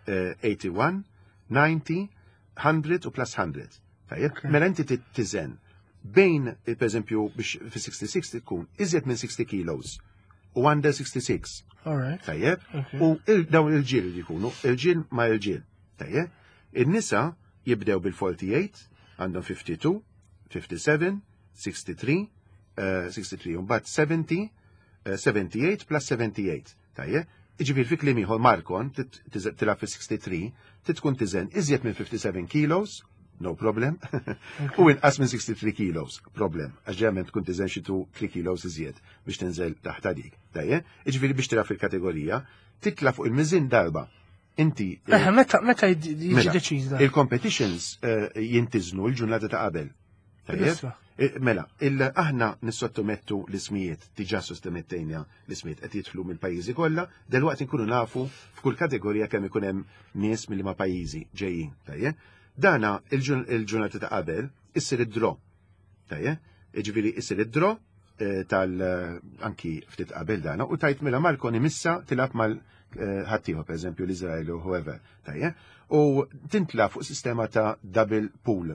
eh, eighty-one, ninety, one hundred u plus one hundred. Tajjeb, mela inti tiżen bejn, eh, per eżempju, biex fi sixty-six tkun iżjed minn sixty kilos u under sixty-six. All right. Tajjeb, Okay. u il- dawn il-ġil li jkunu, il-ġil ma il-ġil. Tajjeb, il-nisa jibdew bil-forty-eight, għandhom fifty-two, fifty-seven, sixty-three, eh, sixty-three, mbagħad seventy, eh, seventy-eight plus seventy-eight. Tajjeb, iġifieri fi kliem ieħor Markon tit- tiż- tilgħab fi sixty-three, tkun tiżen iżjed minn fifty-seven kilos, no problem, u inqas minn sixty-three kilos, problem, għax ġeneralment tkun tiżen xi three kilos iżjed biex tinżel taħt dik. Tajjeb, iġifieri biex tilgħab fil-kategorija, titla' fuq il-miżin darba. Inti eh, Eh, meta meta jiġi Mela, deċiż dan? il-competitions eh, jintiżnu l-ġurnata ta' qabel. Tajjeb? Issa. Eh, Mela, il- aħna nissottomettu l-ismijiet, diġà sottomettejna l-ismijiet qed jidħlu mill-pajjiżi kollha, delwaqt inkunu nafu f'kull kategorija kemm ikun hemm nies mill ma pajjiżi ġejjin. Tajjeb? Dana il-ġun- il-ġurnata ta' qabel issir id-draw. Tajjeb? Jiġifieri issir id-draw eh, tal eh, anki ftit qabel dana u tajt mela Markon imissa tilgħab mal eh, ħaddieħor, per eżempju l-Izrael u whoever. Tajjeb? U tintla fuq sistema ta' double pool,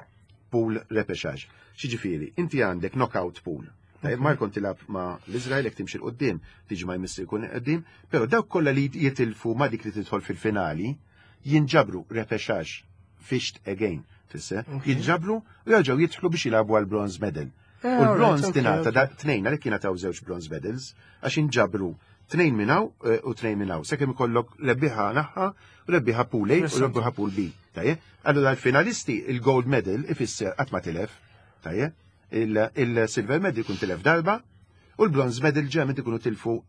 pool repechage. Xiġifieri, inti għandek knockout pool. Tajjeb, Markon tilgħab ma l-Izrael, jekk timxi 'l quddiem, tiġi ma jmissi jkun qoddim, però dawk kollha li jitilfu ma dik li tidħol fil-finali jinġabru repechage fished again, tisse, jinġabru u jerġgħu jidħlu biex jilagħbu għal bronze medal. Eh, U l-bronze alright, tingħata okay, da tnejn, għalhekk jingħataw żewġ bronze medals, għax inġabru tnejn minn hawn eh, u tnejn minn hawn. Sakemm ikollok rebbieħa naħa u rebbieħa pool A u Interessanti. rebbieħa pool B. Tajjeb? Allura l-finalisti il-gold medal ifisser qatt ma tilef. Tajjeb? Il- Il-silver medal ikun tilef darba u l-bronze medal ġeneralment ikunu tilfu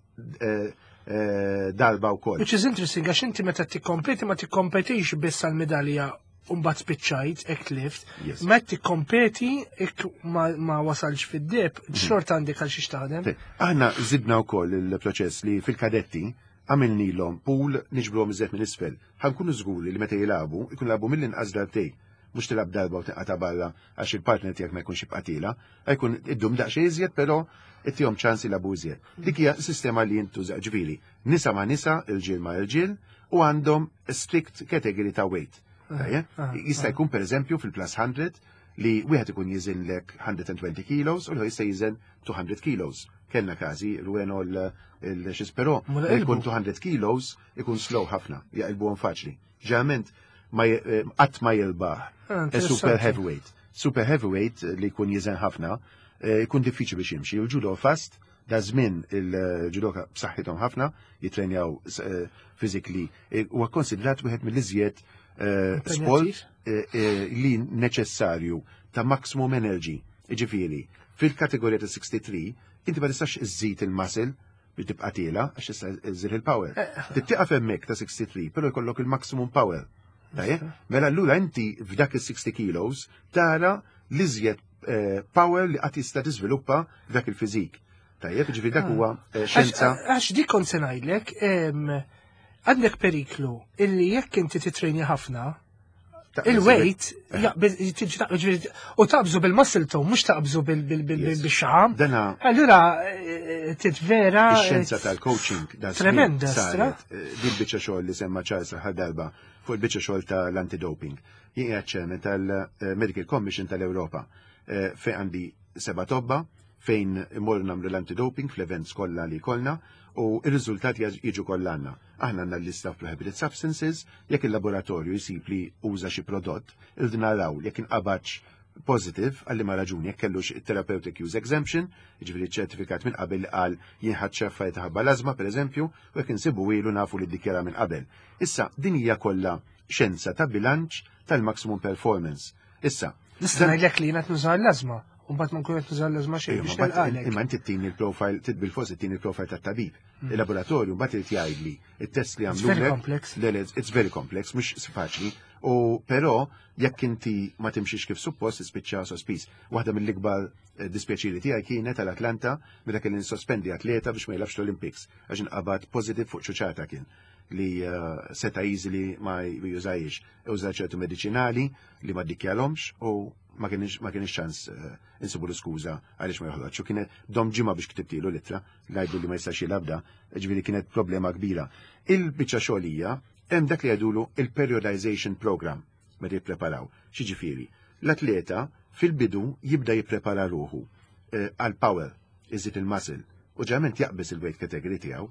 eh, eh, darba wkoll. Which is interesting, għax inti meta tikkompeti ma tikkompetix biss għal medalja u mbagħad spiċċajt, hekk tlift. Yes. Meta tikkompeti hekk ma, ma wasalx fid-deheb, xorta għandek għal xiex taħdem. Te, aħna zidna wkoll il-proċess li fil-kadetti għamilnilhom pool, niġbruhom iżjed minn isfel. Ħa nkunu żguri li meta jilagħbu, ikun lagħbu mill-inqas darbtejn. Mhux tilgħab darba u tinqata' barra għax il-partner tiegħek ma jkunx jibqa' tiela, jkun iddum daqsxejn iżjed, però ittihom ċans jilagħbu iżjed. Dik hija sistema li jintuża, ġifieri, nisa ma' nisa, irġiel ma' irġiel, u għandhom strict category ta' weight. Tajjeb? ah, Jista' jkun per eżempju fil-plus one hundred li wieħed ikun jiżinlek one hundred twenty kilos u l jista' jiżen two hundred kilos. Kellna każi Rueno l-xis, però Mela jkun qilbu. two hundred kilos ikun slow ħafna, jaqilbuhom faċli. Ġeneralment ma j- eh, qatt ma jilbaħ Ah, eh, super interessanti. heavyweight. Super heavyweight eh, li jkun jiżen ħafna, eh, jkun diffiċli biex jimxi. Il-judo fast, da żmien il-judoka b'saħħithom ħafna, jitrenjaw eh, physically, eh, huwa konsidrat wieħed mill-iżjed eh, sport Impenjattiv. eh, eh, li neċessarju ta' maximum energy. Iġifieri, fil-kategorija ta' sixty-three, inti ma tistax iżżid il-muscle biex tibqa' tiela għax tista' iżżid il-power. Tittiqaf hemmhekk ta' sixty-three, però jkollok il-maximum power. Tajjeb? Mela allura inti f'dak il-sixty kilos tara l-iżjed eh, power li qatt jista' tiżviluppa f'dak il-fizik. Tajjeb, ġifieri dak huwa eh, xjenza. Għax għax dik kont se ngħidlek, em, għandek periklu illi jekk inti titrejni ħafna, ta' il-weight jaqbeż- tiġi taqbeż, ġifieri, u taqbżu bil-muscle tone, mhux taqbżu bil- bil- bil- Yes. bil-xaħam. Dana Allura eh, titvera. ix-xjenza tal-coaching da żmien Tremenda, stra. saret, eh, din biċċa xogħol li semma Charles l darba fuq il-biċċa xogħol tal-antidoping. Jien qiegħed chairman tal-Medical Commission tal-Ewropa eh, fejn għandi seba' tobba fejn immorru nagħmlu l-antidoping fl-events kollha li kollna u ir-riżultati jiġu kollha għandna. Aħna għandna l-lista of prohibited substances, jekk il-laboratorju jsib li uża xi prodott, irridu naraw jekk inqabadx positive għal liema raġuni, jekk kellux therapeutic use exemption, jiġifieri ċertifikat minn qabel li qal jien ħadt xeffa ħabba l-ażma pereżempju, u jekk insibu ilu nafu li ddikjara minn qabel. Issa din hija kollha xjenza ta' bilanċ tal-maximum performance. Issa, Nista' ngħidlek li jiena qed nuża l-ażma, u mbagħad ma nkun qed nuża l-ażma xejn Ejja, biex ma mbagħad- nilqalek. Imma inti ttini il-profile, tit bil-fors ittini il-profile tat-tabib. Il-laboratorju mbagħad irid jgħidli it-test li It's għamlu. very complex. Le, le, it's very complex, mhux faċli. U però jekk inti ma timxix kif suppost tispiċċa sospiż. Waħda mill-ikbar eh, dispjaċiri tiegħi kienet tal-Atlanta meta kelli nisospendi atleta biex ma jilgħabx l-Olympics għax inqabad positive fuq ċuċata kien li eh, seta easily ma jużajx. Uża ċertu medicinali li ma ddikjarahomx u ma kienx ma kienx ċans eh, insibu l-skuża għaliex ma joħroġ. U kienet dom ġimgħa biex ktibtilu l-ittra, ngħidu li ma jistax jilgħab da, ġifieri kienet problema kbira. Il-biċċa xogħolija hemm dak li jgħidulu il-periodization program meta jippreparaw. Xiġifieri, l-atleta fil-bidu jibda jipprepara ruħu eh, għal power, iżid il-muscle, u ġeneralment jaqbeż il-weight category tiegħu,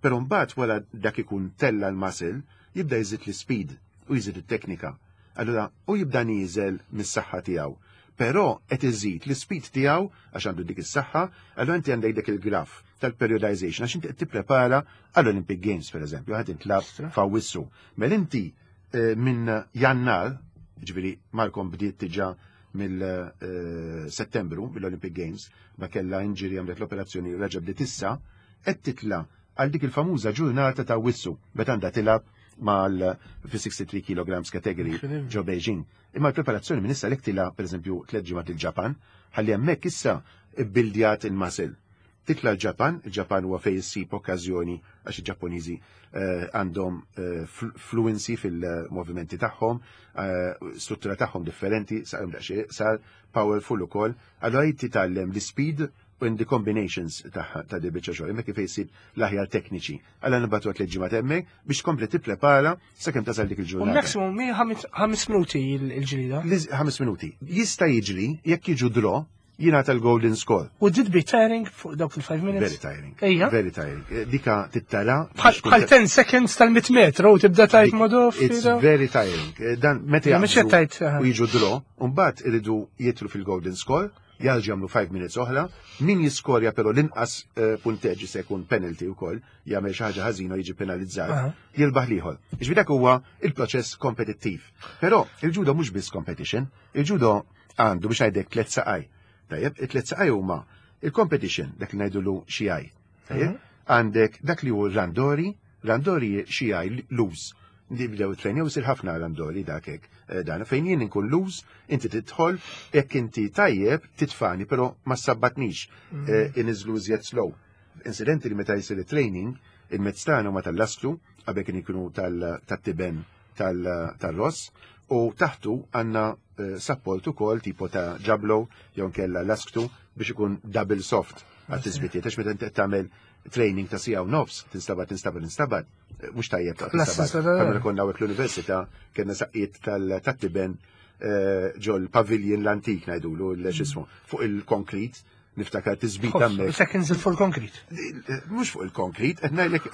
però mbagħad wara dak ikun tella l-muscle, jibda jżid l-speed u jżid it-teknika. Allura, u jibda nieżel mis-saħħa tiegħu. Però qed iżid l-speed tiegħu għax għandu dik is-saħħa, allura inti għandek dik il-graf tal-periodization għax inti qed tipprepara għall-Olympic Games pereżempju, ħa tintlagħab f'Awwissu. Mela inti eh, minn Jannar, ġifieri Malcolm bdiet diġà mill-Settembru mill-Olympic Games, ma kella injury, għamlet l-operazzjoni u reġa' bdiet issa, qed titla' għal dik il-famuża ġurnata ta' Awwissu, meta għandha tilgħab mal fi sixty-three kilograms category ġo Beijing. Imma l-preparazzjoni minn issa lek tilgħab pereżempju tliet ġimgħat il-Ġapan, ħalli hemmhekk issa ibbildjat il-muscle. Titla l-Ġapan, il-Ġapan huwa fejn issib okkażjoni għax il-Ġappuniżi eh, għandhom eh, fl- fluency fil-movimenti tagħhom, eh, struttura tagħhom differenti, saqhom daqsxejn sar powerful ukoll. Allura jrid titgħallem l-speed u in the combinations ta' ta' di biċċa xogħol, hemmhekk kif jsib l-aħjar tekniċi. Alla nibgħatu tliet ġimgħat hemmhekk biex tkompli tipprepara sakemm tasal dik U il-ġurnata. Maximum mi ħames ħames minuti il- il-ġlida. Liż- Ħames minuti. Jista' jiġri jekk jiġu draw jingħata l-golden score. Would it be tiring fuq dawk il-five minutes? Very tiring. Ejja. Very tiring. Eh, Dika tittara. Bħal bħal ten seconds tal-mitt metru u tibda tajt modof. It's very tiring. Eh, Dan meta Ja, mhux qed jaqbżu tajt, aha. u jiġu draw, u mbagħad iridu jidħlu fil-golden score, jarġgħu jagħmlu five minutes oħra, min jiskorja però l-inqas eh, punteġġi se jkun penalty wkoll, jagħmel xi ħaġa ħażina u jiġi penalizzat, Aha. jirbaħ l-ieħor. Ġifieri dak huwa il-proċess kompetittiv. Però il-judo mhux biss competition, il-judo għandu biex ngħidlek tliet saqaj. Tajjeb, it-tliet saqaj huma il-competition, dak li ngħidulu shiai. Tajjeb, għandek dak li hu randori, randori shiai loose. Nibdew training u sir ħafna randori dak hekk eh, dan fejn jien inkun loose, inti tidħol, jekk inti tajjeb titfani, però ma sabbatnix eh, iniżlu iżjed slow. Incidenti li meta jsir training, il-mezz tagħna huma tal-lastru, qabel kien ikunu tal-tiben tal-ross, u taħtu għandna eh, support ukoll tipo ta' ġablo jew nkella lasktu biex ikun double soft għat-tisbitiet, għax meta inti qed tagħmel training ta' siegħa u nofs, tinstabat, tinstabat, tinstabat, eh, mhux tajjeb ta' L-assist tinstabat. Għamil konna hawnhekk l-università, kellna saqqiet tal-tiben ġol pavilion l-antik ngħidulu l-xismu, fuq il-konkrit, niftakar tisbit hemmhekk. Seconds fuq concrete. Mhux fuq il-konkrit, qed ngħidlek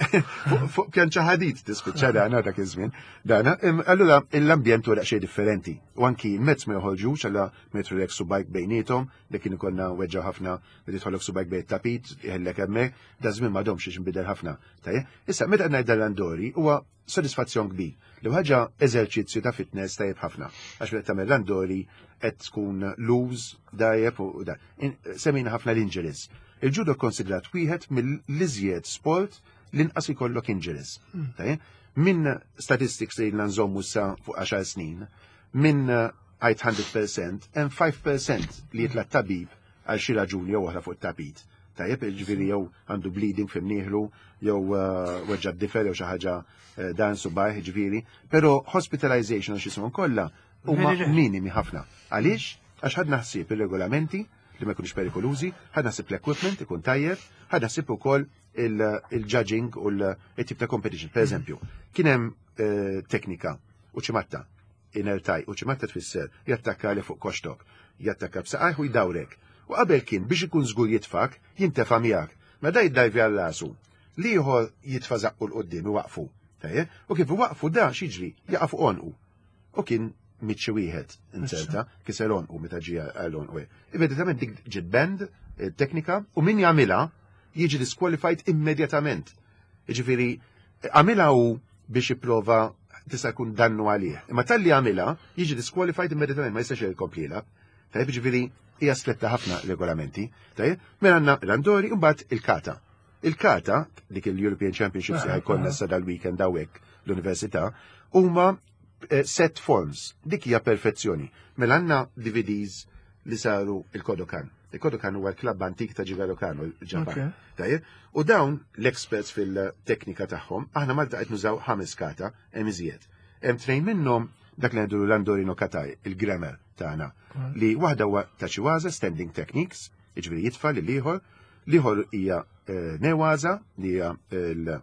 fuq- fuq pjanċa ħadid tispiċċa dana dak iż-żmien. Dana, im, allura l-ambjent huwa daqsxejn differenti. U anki l-mezz ma joħorġux għalla metru lek subgħajk bejniethom, dik kien ikollna weġġa ħafna meta jidħollok subgħajk bejn tapit, jħellek hemmhekk, da żmien m'għadhomx biex nbidel ħafna. Tajjeb, issa meta qed ngħid randori huwa sodisfazzjon kbir. Li ħaġa eżerċizzju ta' fitness tajjeb ħafna. Għax meta tagħmel randori qed tkun loose, dajjeb u da. In- Semmejna ħafna l-injuries. Il-judo konsidrat wieħed mill-iżjed sport l-inqas ikollok injuries. Tajjeb? Minn statistics li nżommu sa fuq għaxar snin, minn għajt mija fil-mija, hemm ħamsa fil-mija li jitla' tabib għal xi raġuni jew oħra fuq tapit. Tajjeb, ġifieri jew għandu bleeding f'imnieħlu, jew uh, weġġa difer jew xi ħaġa eh, dan subgħajh, ġifieri, però hospitalization u x'ismu kollha huma Very rare. minimi ħafna. Għaliex? Għax ħadna ħsieb ir-regolamenti li ma jkunux perikolużi, ħadna ħsieb l-equipment ikun tajjeb, ħadna ħsieb ukoll il-judging u l-tip ta' competition. Per eżempju, kien hemm eh, teknika uchimatta, inner thigh, uchimatta tfisser jattakka li fuq koxtok, jattakka b'saqajh u jdawrek. U qabel kien biex ikun żgur jitfak, jintefa' miegħek. Ma da jiddajvi għal rasu. L-ieħor jitfa' żaqqu 'l quddiem iwaqfu. Tajjeb? U kif iwaqfu da x'jiġri? Jaqa' fuq onqu. U kien mitxi wieħed inserta, kiser onqu meta ġie għal onqu. Immedjatament dik ġiet banned eh, teknika u min jagħmilha jiġi disqualified immedjatament. Jiġifieri għamilha u biex jipprova tista' jkun dannu għalih. Imma talli għamilha jiġi disqualified immedjatament, ma jistax jkompli jilgħab. Tajjeb, ġifieri hija stretta ħafna regolamenti. Tajjeb, mela għandna randori u mbagħad il-kata. Il-kata, dik il-European Championships li ħa jkollna sa dal-weekend hawnhekk l-università, huma Eh, Set forms, dik hija perfezzjoni. Mela għandna D V Ds li saru il-Kodokan. Il-Kodokan huwa l-klabb antik ta' Jigoro Kano, il-Ġapan. Okay. Tajjeb? U dawn l-experts fil-teknika tagħhom, aħna Malta qed nużaw ħames kata, hemm iżjed. Hemm tnejn minnhom dak li ngħidu l-Randori no kata, il-grammar tagħna, li waħda huwa tachiwaza, standing techniques, jiġifieri jitfa' lil ieħor, l-ieħor hija eh, newaza, li hija il-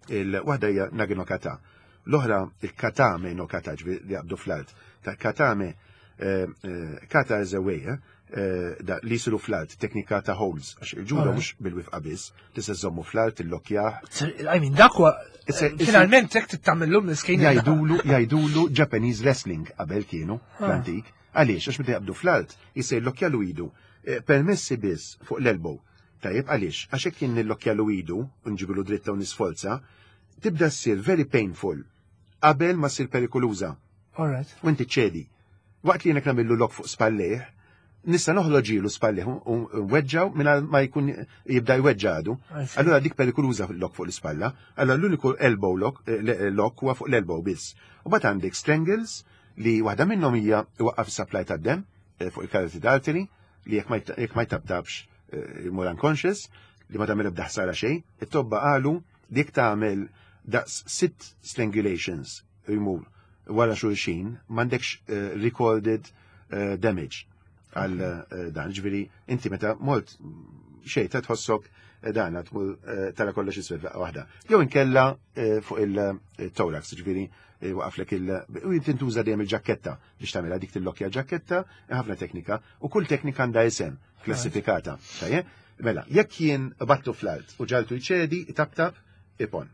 il-waħda hija nage no kata. L-oħra il-katame no kata, ġifieri li jaqbdu fl-art. Ta' katame, eh, eh, kata is a way, eh, eh, da, li jisiru fl-art, teknika ta' holds, għax il-ġudo Alright. mhux bil-wifqa biss, tista' żommu fl-art, il-lokjaħ. I mean, dak huwa It's a- it's a- finalment hekk tittamillhom l-iskin. Jajdulu, jajdulu Japanese wrestling qabel kienu fl-antik. Għaliex, għax meta jaqbdu fl-art, jista' jillokjalu idu. Eh, Permessi biss fuq l-elbow. Tajjeb, għaliex, għax hekk jien nillokjalu idu, u nġibilu dritta u nisfolza, tibda ssir very painful qabel ma ssir perikoluża. Alright. U inti ċedi. Waqt li jenek namillu lock fuq spallih, nista' noħloġilu spallih u weġġaw minn ma jkun jibda jweġġadu. I see. Allura dik perikoluża lock fuq l-ispalla. Allura l-uniku elbow lock, eh, le- lock huwa fuq l-elbow biss. U bat għandek strangles li waħda minnhom hija iwaqqaf is-supply tad-dem eh, fuq il-carotid artery li jekk ma jt- jekk ma jtabtabx eh, jmur unconscious, li ma tagħmel ebda ħsara xejn. It-tobba qalu li jekk tagħmel daqs sitt strangulations jmur wara xulxin m'għandekx eh, recorded eh, damage għal eh, dan, ġifieri inti meta molt xejn ta' tħossok eh, dan tmur eh, tara kollox iswed daqqa waħda. Jew inkella eh, fuq il-thorax, ġifieri eh, waqaflek il- u tintuża dejjem il-ġaketta biex tagħmilha dik tillokja ġaketta, ħafna teknika, u kull teknika għandha isem klassifikata. Tajjeb? Mela, jekk jien battu fl-art u ġaltu jċedi, tap-tap, ippon.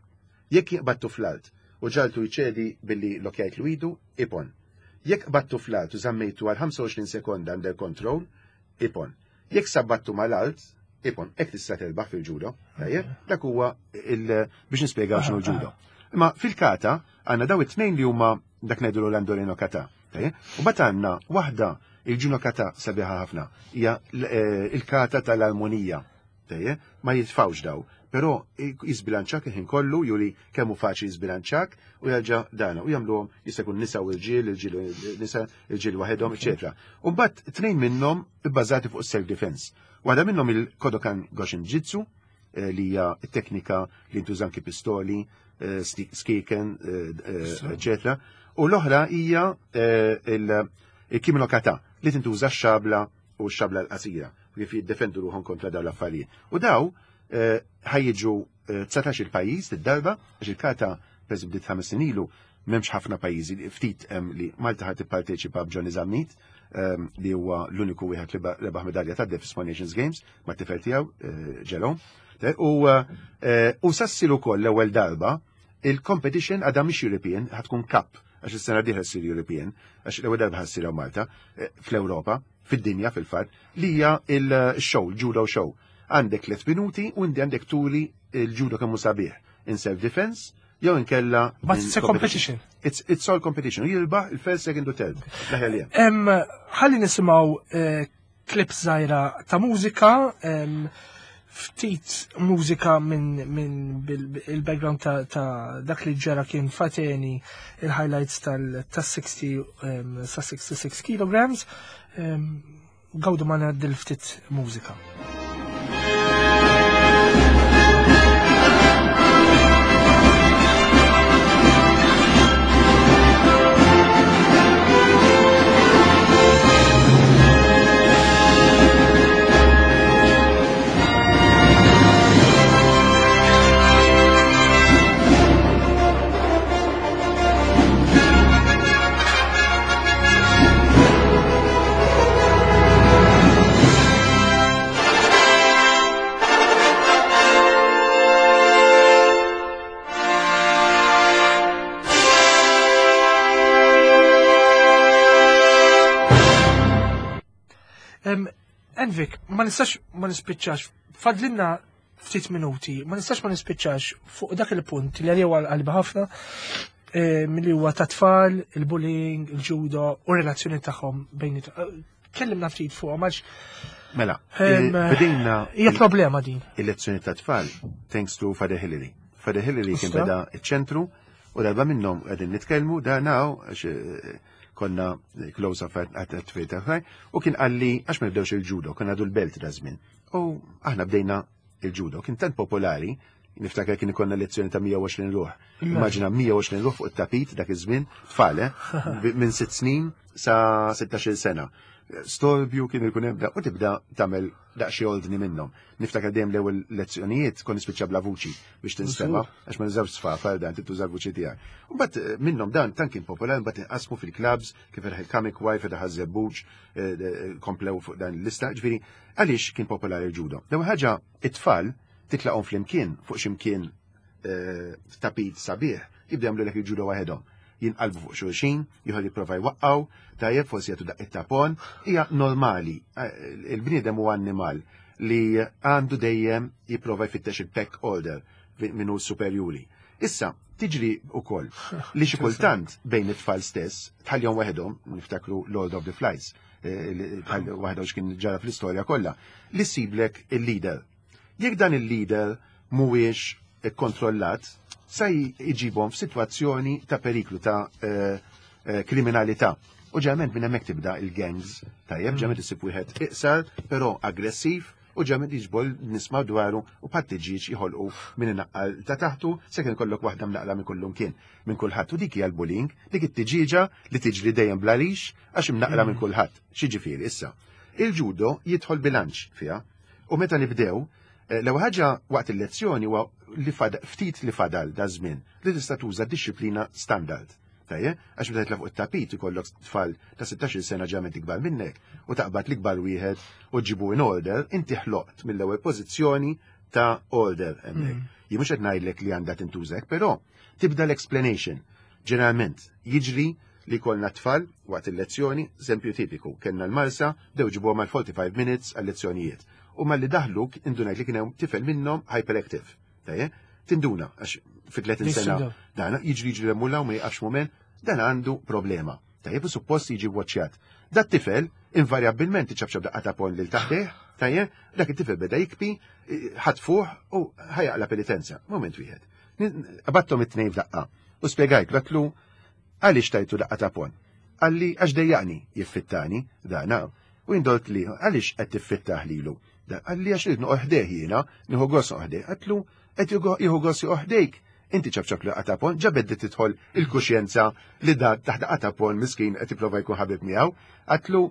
Jekk jien battu fl-art u ġaltu jċedi billi lokjajt l-idu, ippon. Jekk battu fl-art u zammejtu għal ħamsa u għoxrin sekonda under control, ippon. Jekk sabbattu mal-art, ippon. Hekk tista' terbaħ fil-ġudo. Tajjeb? Dak huwa il- biex nispjegaw x'inhu l-ġudo. Imma fil-kata għandna daw it-tnejn li huma dak ngħidu l-Randori no kata. Tajjeb? U bat għandna waħda il-judo kata sabiħa ħafna, hija l- eh, il-kata tal-armonija. Tajjeb? Ma jitfawx daw. Però jizbilanċak il-ħin kollu, juri kemm hu faċli jizbilanċak u jerġa' dana u jagħmluhom jista' jkun nisa u l-ġiel, il-ġiel u nisa, il-ġiel waħedhom, eċetera. U mbagħad tnejn minnhom ibbażati fuq self defense. Waħda minnhom il-Kodokan Goshin Jitsu, eh, li hija t-teknika li ntuża anki pistoli, eh, sti- skiken, eh, eh, eċetera. U l-oħra hija eh, il- il-Kime no kata li tintuża x-xabla u x-xabla l-qasira kif jiddefendu ruħhom kontra dawn l-affarijiet. U daw eh, ħa jiġu eh, dsatax il-pajjiż id-darba, għax il-kata per bdiet ħames snin ilu, m'hemmx ħafna pajjiżi, li ftit hemm li Malta ħad tipparteċipa b'Johnny Zammit, ehm, li huwa l-uniku wieħed li rebaħ medalja ta' Small Nations Games ma' tifel tiegħu eh, Jerome. U eh, u sa ssir ukoll l-ewwel darba il-competition għadha mhix European, ħa tkun Cup, għax is-sena dieħla ssir European, għax l-ewwel darba ħa ssir hawn Malta, eh, fl-Ewropa, fid-dinja fil-fatt, li hija il-show, il-judo show. Għandek tliet minuti u inti għandek turi il-judo kemm hu sabiħ in self-defense, jew inkella But in it's a competition. It's, it's all competition. U jirbaħ il-first, second u third. L-aħjar li hemm. Em, ħalli nisimgħu eh, clip żgħira ta' mużika, em, ftit mużika minn min bil- il-background ta', ta' dak li ġara kien fateni il-highlights tal-sixty em, sa sixty-six kilograms. Em, Gawdu ma' dil-ftit mużika. Em, Envic, ma nistax ma nispiċċax, fadlinna ftit minuti, ma nistax ma nispiċċax fuq dak il-punt li għalija għal ħafna, eh, milli huwa ta' tfal, il-bullying, il-ġudo u relazzjoni tagħhom bejn it- eh, Kellimna ftit fuq, għax Mela, Em, eh, bdejna hija problema din. il-lezzjoni ta' tfal, thanks to Father Hillary. Father Hillary kien Usta. beda iċ-ċentru U darba minnhom qegħdin nitkellmu da naw għax eh, konna close up għat oħrajn, u kien qalli għax ma nibdewx il-judo, kien għadu l-belt da żmien. U aħna bdejna il-judo, kien tant popolari, niftakar kien ikollna lezzjoni ta' mija u għoxrin ruħ. Immaġina mija u għoxrin ruħ fuq it-tapit dak iż-żmien, tfal, eh, minn sitt snin sa sittax-il sena. Storbju kien ikun hemm u tibda tagħmel daqsxejn ordni minnhom. Niftakar dejjem l-ewwel lezzjonijiet kon nispiċċa bla vuċi biex tinstema' għax ma nużawx sfafar dan, tuża l-vuċi tiegħek. U mbagħad eh, minnhom dan tant kien popolari, mbagħad inqasmu fil-clubs kif fetaħ il-Comic Y, fetaħ iż-Żebbuġ, eh, komplew fuq dan l-lista, ġifieri għaliex kien popolari l-ġudo? L-ewwel ħaġa, it-tfal titlaqhom flimkien fuq x'imkien eh, tapit sabiħ, jibdew jagħmlu lek il-ġudo waħedhom. Jinqalbu fuq xulxin, jieħu jipprova jwaqqaw, tajjeb, forsi jagħtu daqqa ta' ponn, hija normali. Eh, Il-bniedem huwa annimal li għandu dejjem jipprova jfittex il-pack order minnu superjuri. Issa, tiġri ukoll li xi kultant bejn it-tfal stess, tħallihom waħedhom, niftakru Lord of the Flies, eh, li tħalli waħedhom x'kien ġara fl-istorja kollha, li ssiblek il-leader. Jekk dan il-leader mhuwiex ikkontrollat, sa jġibhom f'sitwazzjoni ta' periklu ta' eh, eh, kriminalità. U ġeneralment minn hemmhekk tibda il-gangs, tajjeb, ġeneralment isib wieħed iqsar, però aggressiv, u ġeneralment jiġbol nisma' dwaru u pattiġiġ jħolqu minn inaqqal ta' taħtu, se kien kollok waħda mnaqla minn kullum kien, minn kulħadd. U dik hija l-bullying, dik it-tiġiġa li tiġri dejjem bla rix għax imnaqla minn kulħadd. X'jiġifieri issa? Il-ġudo jidħol bilanċ fiha u meta nibdew, eh, l-ewwel ħaġa waqt il-lezzjoni huwa li fad, ftit li fadal da żmien li tista' tuża disċiplina standard. Tajjeb, għax meta titla' fuq it-tapit ikollok tfal ta' sittax-il sena ġament ikbar minnek u taqbad l-ikbar wieħed u ġibu in order, inti ħloqt mill-ewwel pożizzjoni ta' order hemmhekk. Jien mhux qed ngħidlek li għandha tintużek, però tibda l-explanation. Ġeneralment jiġri li kollna tfal waqt il-lezzjoni, eżempju tipiku, kellna l-Marsa, dew ġibuha mal-forty-five minutes għal-lezzjonijiet. U malli daħluk indunajt li kien hemm tifel minnhom hyperactive. Tajjeb, tinduna għax fi tletin sena Jissudaw. dan jiġri jiġri l-mulla u ma jiqafx moment, dan għandu problema. Tajjeb, u suppost jiġi waċċjat. Dat tifel invarjabilment iċabċab daqqa ta' ponn lil taħtih, tajjeb, dak it-tifel beda jikbi, ħatfuh u ħajaqla penitenza. Moment wieħed. Qabatthom it-tnejn f'daqqa u spjegajt għedtlu għaliex tajtu daqqa ta' ponn. Qalli għax dejjaqni jiffittani, dana. U indort li għaliex qed tiffittaħ lilu. Qalli għax rrid noqgħod ħdejh jiena, nieħu gost noqgħod. Għedtlu qed jieħu gost joqgħod. Inti ċabċab li qatapon, ġabed tidħol il-kuxjenza li da taħt qatapon miskin qed jipprova jkun ħabib miegħu. Għedtlu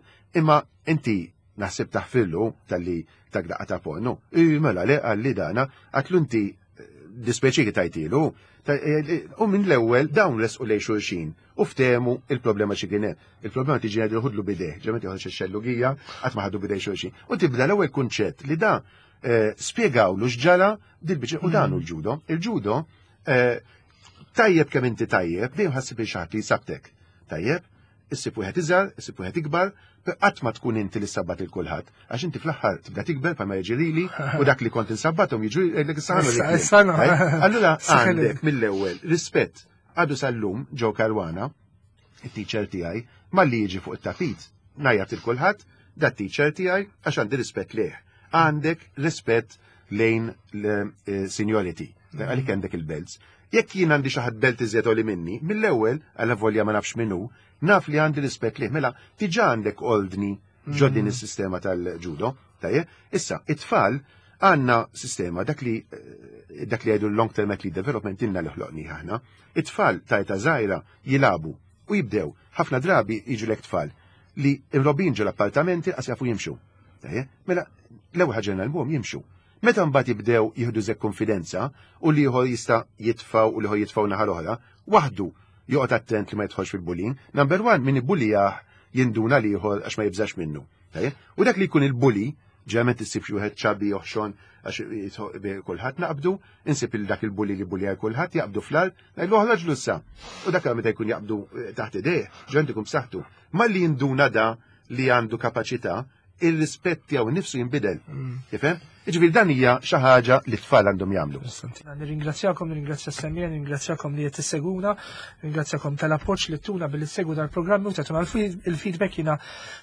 imma inti naħseb taħfirlu tal-li tak da qatapon. No, mela le, qalli dana, għedtlu inti dispeċi tajtilu. U minn l-ewwel dawn resqu lej xulxin u ftehmu il-problema xi kien hemm. Il-problema tiġi għadu ħudlu bideh, ġemet joħroġ ix-xellugija, qatt ma ħadu bidej xulxin. U tibda l-ewwel kunċett li da eh, spjegawlu x'ġara dil-biċ u dan hu l-ġudo. Il-ġudo eh, tajjeb kemm inti tajjeb, dejjem ħassib il xi ħadd li jsabtek. Tajjeb, issib wieħed iżgħar, issib wieħed ikbar, qatt ma tkun inti li sabbat il kulħadd, għax inti fl-aħħar tibda tikber pa ma jiġrili u dak li kont insabbathom jiġu jgħidlek is-saħanu. Allura għandek mill-ewwel rispett għadu sal-lum Joe Caruana, it-teacher tiegħi, malli jiġi fuq it-tapit, ngħajjat il kulħadd, dat teacher tiegħi għax għandi rispett lejh. Għandek rispett lejn l-seniority, għalik għandek il-belts. Jekk jien għandi xi ħadd belt iżjed li minni, mill-ewwel għal volja ma nafx minnu, naf li għandi rispett lih, mela diġà għandek ordni ġo din is-sistema tal-ġudo. Tajjeb, issa it-tfal għandna sistema dak li eh, dak li jgħidu long term athlete development inna li ħloqni aħna. It-tfal ta' età żgħira jilagħbu u jibdew ħafna drabi jiġu lek tfal li imrobbin ġo l-appartamenti qas jafu jimxu. Tajjeb, mela l-ewwel ħaġa nagħlmuhom jimxu. Meta mbagħad jibdew jieħdu żek konfidenza u li ieħor jista' jitfaw u li ieħor jitfaw naħa l-oħra, waħdu joqgħod attent li ma jidħolx fil-bullying. Number one, min ibbulijah jinduna li ieħor għax ma jibżax minnu. U dak li jkun il-bully, ġeneralment issib xi wieħed chubby oħxon għax kulħadd naqbdu, insib il dak il-bully li bully kulħadd jaqbdu fl-art, ngħidlu oħroġ issa. U dak meta jkun jaqbdu eh, taħt idejh, ġeneralment ikun b'saħħtu. Malli jinduna da li għandu kapaċità, il-rispett tiegħu nifsu jinbidel. Mm. Tifhem? Jiġifieri dan hija xi ħaġa li t-tfal għandhom jagħmlu. Nirringrazzjakom, nirringrazzja s-semmiegħa, nirringrazzjakom li qed tisseguna, nirringrazzjakom tal-appoġġ li tuna billi ssegwu dal-programmi u tagħtuna il-feedback. Jiena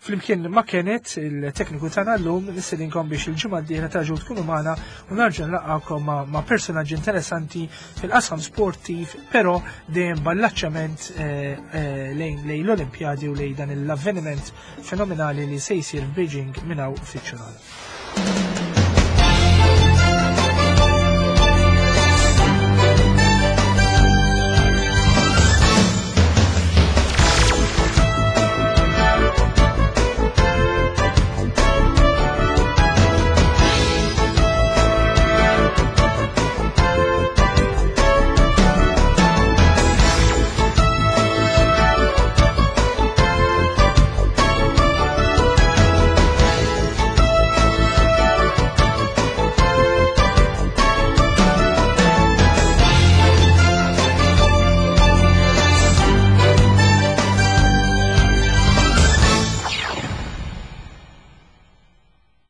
flimkien ma' Kenneth, il-tekniku tagħna llum, nistedinkom biex il-ġimgħa d-dieħla terġgħu tkunu magħna u nerġa' nlaqqagħkom ma', ma' personaġġi interessanti fil-qasam sportiv, però dejjem b'allaċċament eh, eh, lejn lejn l-Olimpjadi u lejn dan l-avveniment fenomenali li se jsir f'Beijing minn hawn ftit xhur.